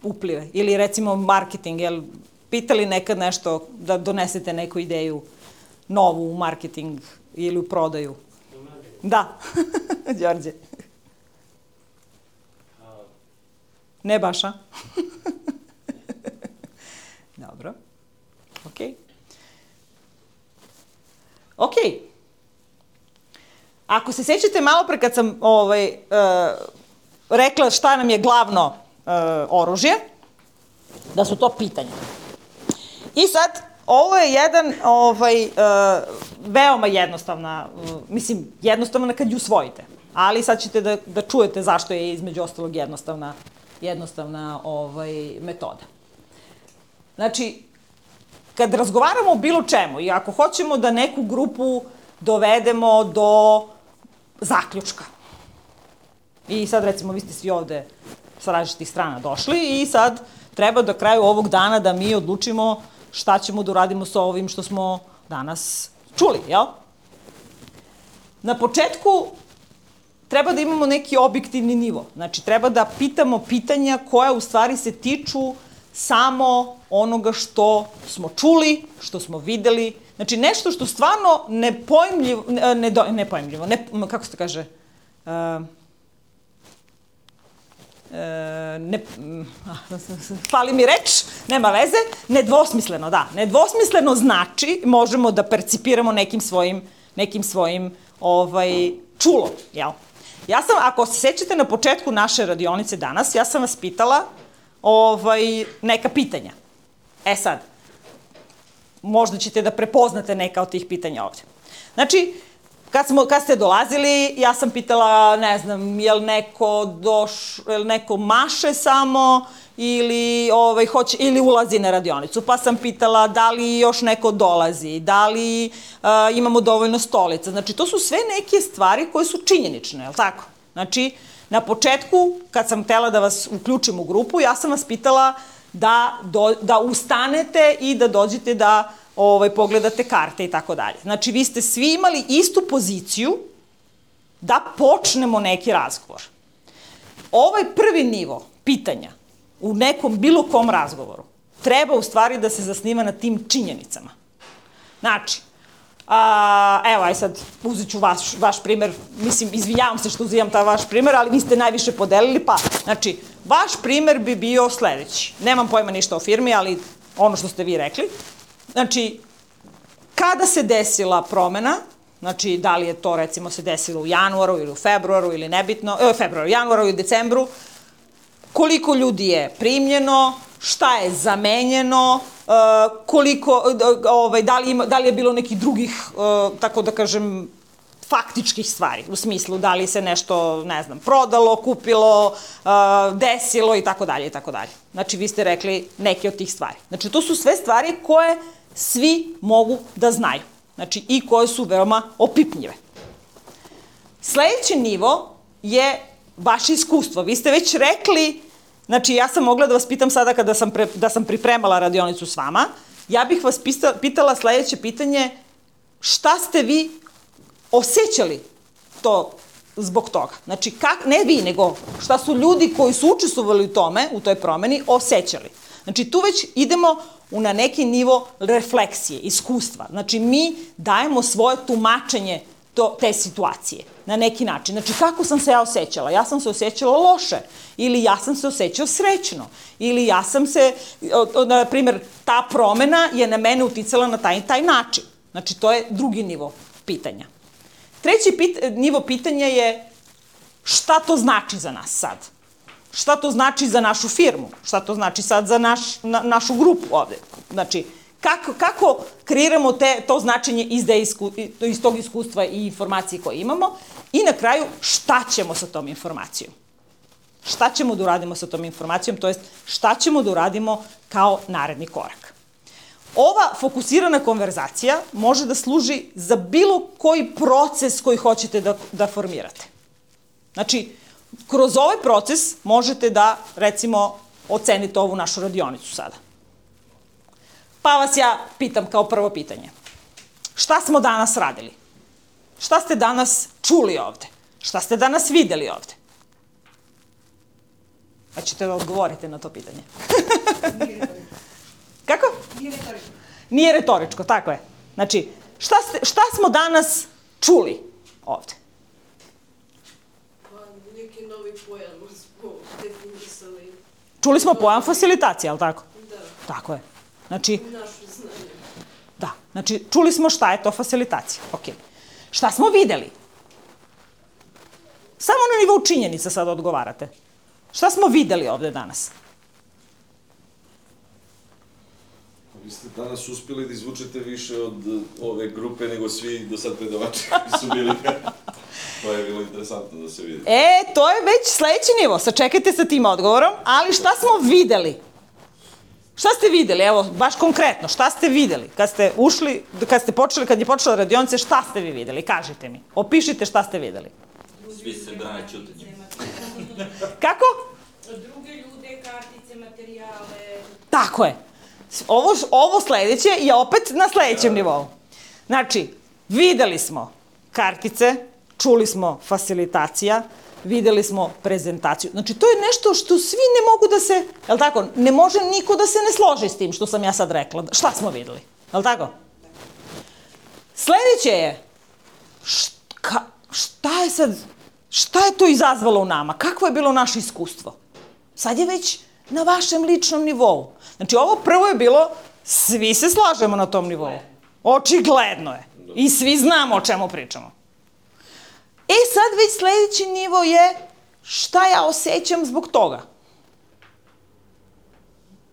uplive? Ili recimo marketing, je li pitali nekad nešto da donesete neku ideju novu u marketing ili u prodaju? Da, Đorđe. Ne baš, a? Dobro. Okej. Okej. Ako se sećate malo pre kad sam rekla šta nam je glavno oružje, da su to pitanja. I sad, ovo je jedan veoma jednostavna, mislim, jednostavna kad ju usvojite, ali sad ćete da čujete zašto je između ostalog jednostavna metoda. Znači, kad razgovaramo o bilo čemu i ako hoćemo da neku grupu dovedemo do zaključka, i sad recimo vi ste svi ovde sa različitih strana došli i sad treba do kraju ovog dana da mi odlučimo šta ćemo da uradimo sa ovim što smo danas čuli, jel? Na početku treba da imamo neki objektivni nivo. Znači, treba da pitamo pitanja koja u stvari se tiču samo onoga što smo čuli, što smo videli. Znači, nešto što stvarno nepojmljivo, kako se to kaže, fali mi reč, nema veze, nedvosmisleno, da. Nedvosmisleno znači, možemo da percipiramo nekim svojim čulom, jel? Ja sam, ako se sećate na početku naše radionice danas, ja sam vas pitala neka pitanja. E sad, možda ćete da prepoznate neka od tih pitanja ovde. Znači, Kad ste dolazili, ja sam pitala, ne znam, je li neko maše samo ili ulazi na radionicu. Pa sam pitala da li još neko dolazi, da li imamo dovoljno stolica. Znači, to su sve neke stvari koje su činjenične, je li tako? Znači, na početku, kad sam htela da vas uključim u grupu, ja sam vas pitala da ustanete i da dođete da pogledate karte i tako dalje. Znači, vi ste svi imali istu poziciju da počnemo neki razgovor. Ovaj prvi nivo pitanja u nekom bilo kom razgovoru treba u stvari da se zasniva na tim činjenicama. Znači, evo, aj sad uzet ću vaš primer, mislim, izvinjavam se što uzimam taj vaš primer, ali vi ste najviše podelili, pa, znači, vaš primer bi bio sledeći. Nemam pojma ništa o firmi, ali ono što ste vi rekli. Znači, kada se desila promena, znači, da li je to, recimo, se desilo u januaru ili u februaru ili nebitno, januaru ili decembru, koliko ljudi je primljeno, šta je zamenjeno, da li je bilo nekih drugih, tako da kažem, faktičkih stvari, u smislu da li se nešto, ne znam, prodalo, kupilo, desilo i tako dalje i tako dalje. Znači, vi ste rekli neke od tih stvari. Znači, to su sve stvari koje svi mogu da znaju. Znači, i koje su veoma opipljive. Sledeći nivo je vaše iskustvo. Vi ste već rekli, znači, ja sam mogla da vas pitam sada kada sam pripremala radionicu s vama, ja bih vas pitala sledeće pitanje, šta ste vi osjećali to zbog toga? Znači, ne vi, nego šta su ljudi koji su učestvovali u tome, u toj promeni, osjećali. Znači, tu već idemo na neki nivo refleksije, iskustva. Znači, mi dajemo svoje tumačenje te situacije na neki način. Znači, kako sam se ja osjećala? Ja sam se osjećala loše, ili ja sam se osjećao srećno, ili ja sam se, na primjer, ta promena je na mene uticala na taj način. Znači, to je drugi nivo pitanja. Treći nivo pitanja je šta to znači za nas sad? Šta to znači za našu firmu? Šta to znači sad za našu grupu ovde? Znači, kako kreiramo to značenje iz tog iskustva i informacije koje imamo? I na kraju, šta ćemo sa tom informacijom? Šta ćemo da uradimo sa tom informacijom, to jest šta ćemo da uradimo kao naredni korak? Ova fokusirana konverzacija može da služi za bilo koji proces koji hoćete da formirate. Znači, kroz ovaj proces možete da, recimo, ocenite ovu našu radionicu sada. Pa vas ja pitam kao prvo pitanje. Šta smo danas radili? Šta ste danas čuli ovde? Šta ste danas videli ovde? Pa ćete da odgovorite na to pitanje. Kako? Nije retoričko. Nije retoričko, tako je. Znači, šta smo danas čuli ovde? Pa, neki novi pojam smo definisali. Čuli smo pojam facilitacije, ali tako? Da. Tako je. Znači, Naše znanje. da. Znači, čuli smo šta je to facilitacija. Ok. Šta smo videli? Samo na nivou činjenica sad odgovarate. Šta smo videli ovde danas? Vi ste danas uspeli da izvučete više od ove grupe nego svi do sad predavači koji su bili. To je bilo interesantno da se vidi. To je već sledeći nivo. Sačekajte sa tim odgovorom, ali šta smo videli? Šta ste videli? Evo, baš konkretno, šta ste videli? Kad ste ušli, kad je počela radionica, šta ste vi videli? Kažite mi. Opišite šta ste videli. Svi se brane ćutanjem. Kako? Druge ljude, kartice, materijale. Tako je. Ovo sledeće je opet na sledećem nivou. Znači, videli smo kartice, čuli smo facilitacija, videli smo prezentaciju. Znači, to je nešto što svi ne mogu da se, je li tako, ne može niko da se ne složi s tim što sam ja sad rekla. Šta smo videli? Je li tako? Sledeće je, šta je to izazvalo u nama? Kakvo je bilo naše iskustvo? Sad je već na vašem ličnom nivou. Znači, ovo prvo je bilo, svi se slažemo na tom nivou. Očigledno je. I svi znamo o čemu pričamo. Sad već sledeći nivo je šta ja osjećam zbog toga.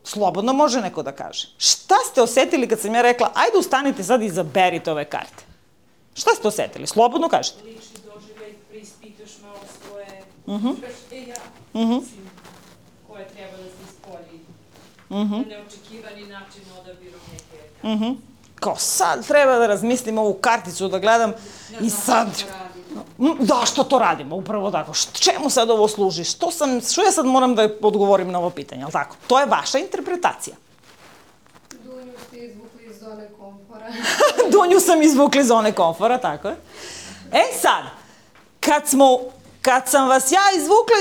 Slobodno može neko da kaže. Šta ste osetili kad sam ja rekla, ajde ustanite sad i izaberite ove karte? Šta ste osetili? Slobodno kažete. Lični doživljaj, preispitaš malo svoje koje treba da se ispolji na neočekivani način odabirom neke kartice. Kao sad treba da razmislim ovu karticu, da gledam i sad... Da, što to radimo, upravo tako. Čemu sad ovo služi? Što ja sad moram da odgovorim na ovo pitanje, ali tako? To je vaša interpretacija. Dunju ste izvukli iz zone komfora. Dunju sam izvukli iz zone komfora, tako je. E sad, kad sam vas ja izvukla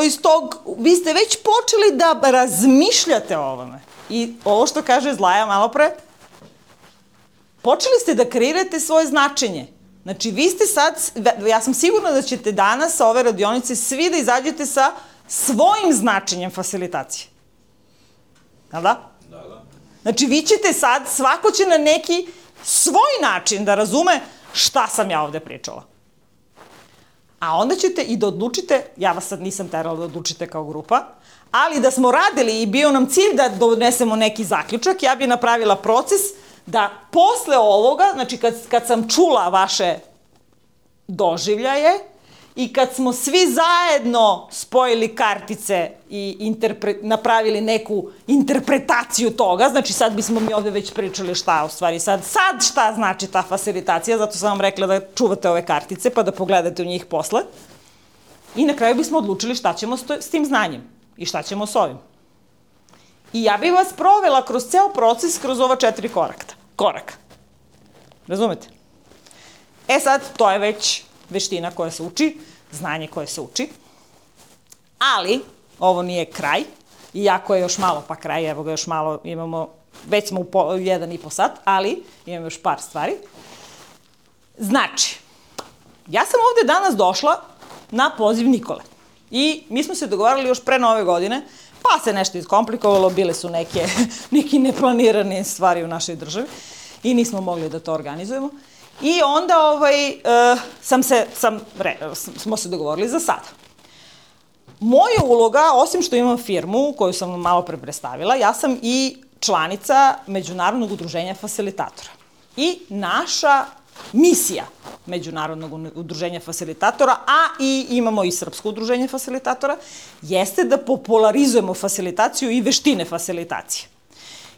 iz tog, vi ste već počeli da razmišljate o ovome. I ovo što kaže Zlaja malo pre, počeli ste da kreirate svoje značenje. Znači, vi ste sad, ja sam sigurna da ćete danas sa ove radionice svi da izađete sa svojim značenjem fasilitacije. Jel da? Da. Znači, vi ćete sad, svako će na neki svoj način da razume šta sam ja ovde pričala. A onda ćete i da odlučite, ja vas sad nisam terala da odlučite kao grupa, ali da smo radili i bio nam cilj da donesemo neki zaključak, ja bi napravila proces da posle ovoga, znači kad sam čula vaše doživljaje i kad smo svi zajedno spojili kartice i napravili neku interpretaciju toga, znači sad bismo mi ovde već pričali šta u stvari sad šta znači ta fasilitacija, zato sam vam rekla da čuvate ove kartice pa da pogledate u njih posle. I na kraju bismo odlučili šta ćemo s tim znanjem i šta ćemo s ovim. I ja bih vas provela kroz ceo proces, kroz ova 4 koraka. Razumete? E sad, to je već veština koja se uči, znanje koje se uči. Ali, ovo nije kraj, iako je još malo pa kraj, evo ga još malo imamo, već smo u 1,5 sat, ali imamo još par stvari. Znači, ja sam ovde danas došla na poziv Nikole. I mi smo se dogovarali još pre Nove godine, pa se nešto iskomplikovalo, bile su neki neplanirane stvari u našoj državi i nismo mogli da to organizujemo. I onda smo se dogovorili za sada. Moja uloga, osim što imam firmu koju sam malo pre predstavila, ja sam i članica Međunarodnog udruženja fasilitatora. I naša misija Međunarodnog udruženja fasilitatora, a i imamo i Srpsko udruženje fasilitatora, jeste da popularizujemo fasilitaciju i veštine fasilitacije.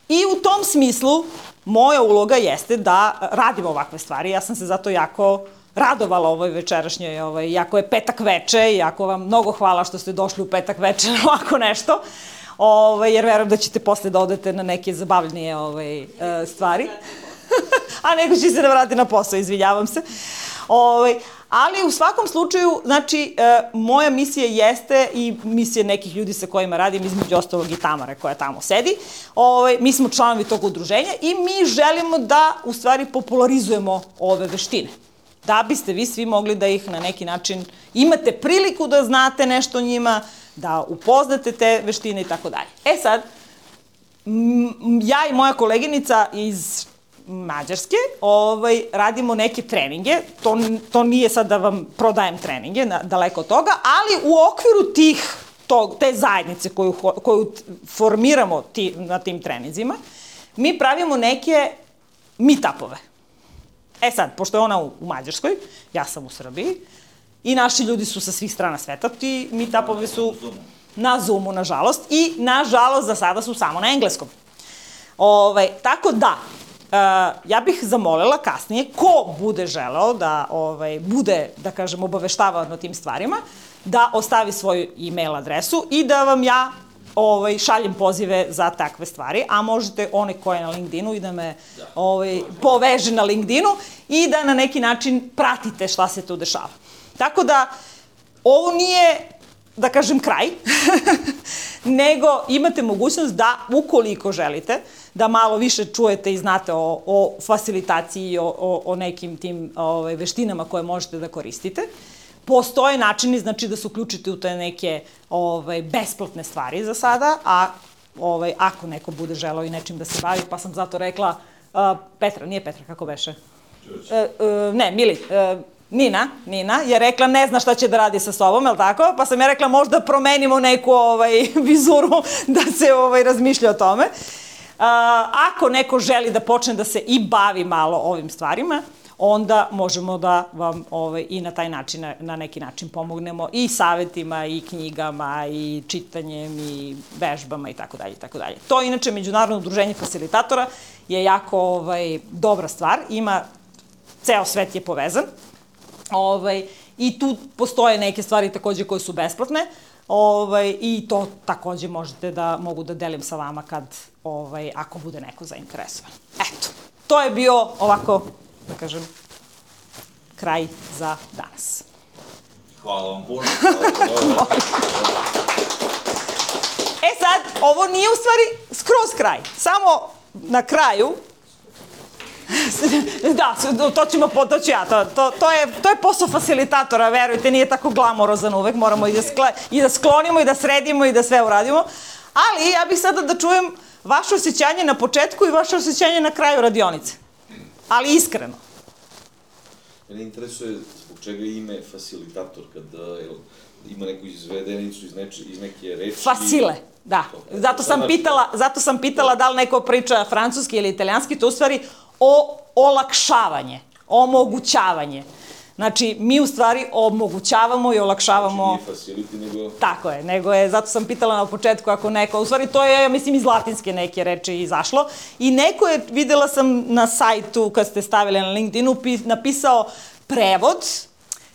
I u tom smislu moja uloga jeste da radimo ovakve stvari. Ja sam se zato jako radovala ovoj večerašnjoj, iako je petak veče, iako vam mnogo hvala što ste došli u petak veče na ovako nešto, jer verujem da ćete posle da odete na neke zabavljenije stvari. A neko će se da vrati na posao, izvinjavam se. Ali u svakom slučaju, znači, moja misija jeste i misija nekih ljudi sa kojima radim, između ostalog i Tamare koja tamo sedi. Mi smo članovi tog udruženja i mi želimo da, u stvari, popularizujemo ove veštine. Da biste vi svi mogli da ih na neki način imate priliku da znate nešto o njima, da upoznate te veštine i tako dalje. E sad, ja i moja koleginica iz Mađarske, radimo neke treninge, to nije sad da vam prodajem treninge, daleko od toga, ali u okviru te zajednice koju formiramo na tim treninzima, mi pravimo neke meet-upove. E sad, pošto je ona u Mađarskoj, ja sam u Srbiji, i naši ljudi su sa svih strana sveta, ti meet-upovi su na Zoomu, nažalost, i nažalost za sada su samo na engleskom. Tako da, ja bih zamolila kasnije ko bude želeo da bude, da kažem, obaveštavan o tim stvarima, da ostavi svoju e-mail adresu i da vam ja šaljem pozive za takve stvari, a možete one koje na LinkedInu i da me poveže na LinkedInu i da na neki način pratite šta se tu dešava. Tako da, ovo nije, da kažem, kraj, nego imate mogućnost da, ukoliko želite, da malo više čujete i znate o fasilitaciji i o nekim tim veštinama koje možete da koristite. Postoje načini, znači, da se uključite u te neke besplatne stvari za sada, a ako neko bude želeo i nečim da se bavi, pa sam zato rekla, Petra, nije Petra, kako beše? Ne, Mili, Nina je rekla ne zna šta će da radi sa sobom, je li tako? Pa sam ja rekla možda promenimo neku vizuru da se razmišlja o tome. Ako neko želi da počne da se i bavi malo ovim stvarima, onda možemo da vam i na taj način, na neki način pomognemo i savetima, i knjigama, i čitanjem, i vežbama i tako dalje, i tako dalje. To, inače, Međunarodno udruženje facilitatora je jako dobra stvar. Ceo svet je povezan. I tu postoje neke stvari takođe koje su besplatne. I to takođe mogu da delim sa vama ako bude neko zainteresovan. Eto, to je bio ovako, da kažem, kraj za danas. Hvala vam puno. Sad, ovo nije u stvari skroz kraj. Samo na kraju, da, to ću ja, to je posao facilitatora, verujte, nije tako glamorozan uvek, moramo i da sklonimo i da sredimo i da sve uradimo, ali ja bih sada da čujem vaše osjećanje na početku i vaše osjećanje na kraju radionice, ali iskreno. Mene interesuje zbog čega ime facilitator, kada ima neku izvedenicu iz neke reči. Facile, da. Zato sam pitala da li neko priča francuski ili italijanski, to u stvari olakšavanje, omogućavanje. Znači, mi u stvari omogućavamo i olakšavamo... Znači, nije facility, nego... Tako je, zato sam pitala na početku ako neko... U stvari, to je, mislim, iz latinske neke reči izašlo. I neko je, videla sam na sajtu, kad ste stavili na LinkedInu, napisao prevod.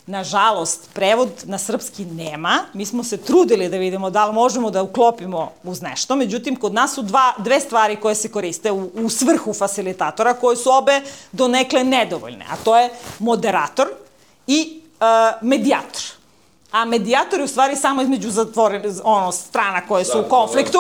Nažalost, prevod na srpski nema. Mi smo se trudili da vidimo da li možemo da uklopimo uz nešto. Međutim, kod nas su dve stvari koje se koriste u svrhu facilitatora, koje su obe donekle nedovoljne. A to je moderator i medijator. A medijator je u stvari samo između strana koje su u konfliktu.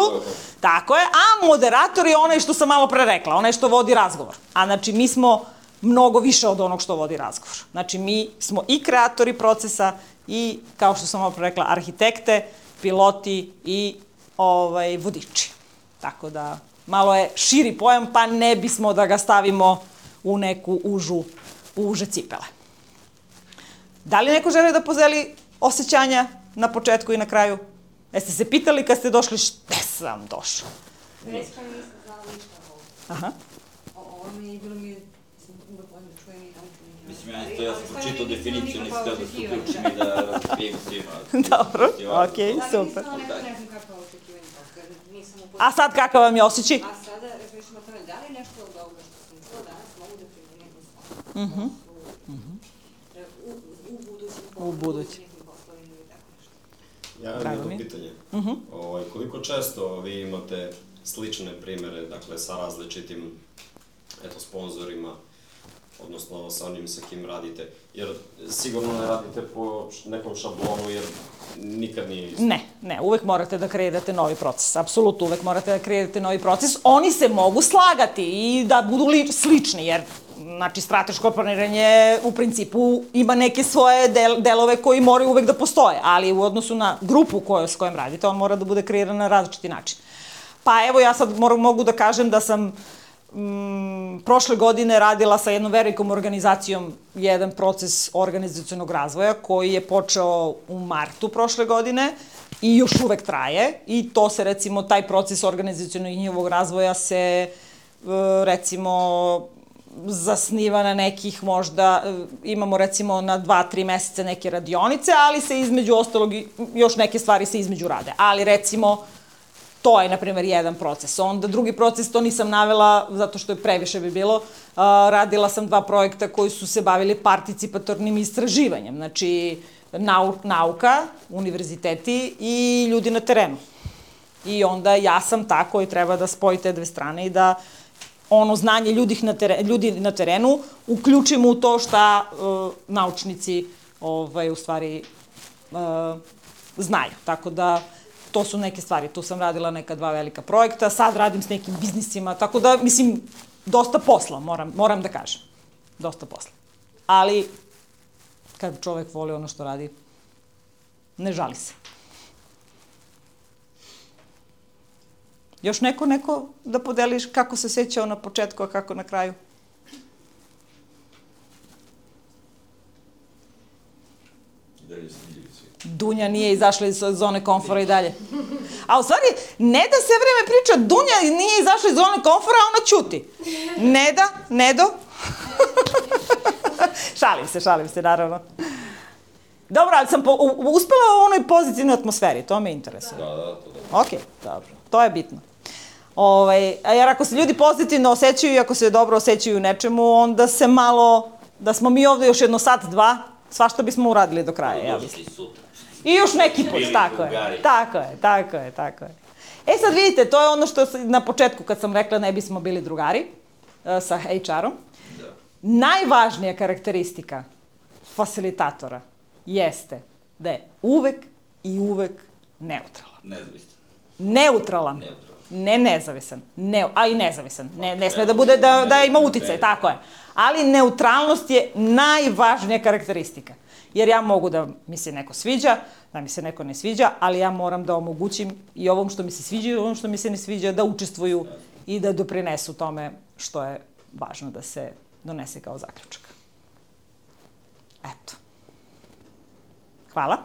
Tako je. A moderator je onaj što sam malo pre rekla, onaj što vodi razgovor. A znači, mi smo mnogo više od onog što vodi razgovor. Znači, mi smo i kreatori procesa i, kao što sam malo pre rekla, arhitekte, piloti i vodiči. Tako da, malo je širi pojam, pa ne bismo da ga stavimo u neku uže cipele. Da li neko želi da podeli osjećanja na početku i na kraju? Jeste se pitali kad ste došli šta sam došao? Recimo nisam znala ništa o ovom. Aha. Ovo mi je bilo uvek voljno da čujem i naučim. Mislim, ja sam pročitao definiciju, nisam htio da se uključim i da razbijem svima. Dobro, okej, super. Ne znam kakva očekivanja. A sad kakav vam je osjećaj? A sada, razmišljamo o tome, da li nešto od ovoga što sam čula danas mogu da primenim u budućim poslovima ili tako nešto. Ja imam jedno pitanje. Koliko često vi imate slične primere, dakle, sa različitim sponzorima, odnosno sa onim sa kim radite, jer sigurno ne radite po nekom šablonu, jer nikad nije isto. Ne, uvek morate da kreirate novi proces, apsolutno uvek morate da kreirate novi proces. Oni se mogu slagati i da budu slični, jer znači, strateško planiranje u principu ima neke svoje delove koji moraju uvek da postoje, ali u odnosu na grupu s kojom radite, on mora da bude kreiran na različiti način. Pa evo, ja sad mogu da kažem da sam prošle godine radila sa jednom velikom organizacijom jedan proces organizacionog razvoja koji je počeo u martu prošle godine i još uvek traje i to se, recimo, taj proces organizacionog i njihovog razvoja se, recimo, zasniva na nekih možda, imamo recimo na 2-3 meseca neke radionice, ali se između ostalog još neke stvari se između rade. Ali recimo, to je, na primjer, jedan proces. Onda drugi proces, to nisam navela zato što je previše bi bilo. Radila sam 2 projekta koji su se bavili participatornim istraživanjem. Znači, nauka, univerziteti i ljudi na terenu. I onda ja sam ta koji treba da spoji te dve strane i da ono znanje ljudi na terenu uključimo u to šta naučnici u stvari znaju. Tako da, to su neke stvari. Tu sam radila neka 2 velika projekta, sad radim s nekim biznisima, tako da, mislim, dosta posla, moram da kažem. Dosta posla. Ali, kad čovek voli ono što radi, ne žali se. Još neko da podeliš kako se sećao na početku, a kako na kraju? Dunja nije izašla iz zone komfora i dalje. A u stvari, Neda sve vreme priča, Dunja nije izašla iz zone komfora, a ona ćuti. Neda, Nedo? Šalim se, naravno. Dobro, ali sam uspela u onoj pozitivnoj atmosferi, to me interesuje. Da. Okej, dobro, to je bitno. Jer ako se ljudi pozitivno osjećaju i ako se dobro osjećaju u nečemu, onda se malo, da smo mi ovde još jedno sat, dva, svašta bismo uradili do kraja, ja mislim. I još neki put, tako je. E sad vidite, to je ono što na početku kad sam rekla ne bismo bili drugari sa HR-om. Najvažnija karakteristika fasilitatora jeste da je uvek neutralan. Neutralan. Ne nezavisan. A i nezavisan. Ne sme da bude da ima uticaj, tako je. Ali neutralnost je najvažnija karakteristika. Jer ja mogu da mi se neko sviđa, da mi se neko ne sviđa, ali ja moram da omogućim i ovom što mi se sviđa i ovom što mi se ne sviđa da učestvuju i da doprinesu tome što je važno da se donese kao zaključak. Eto. Hvala.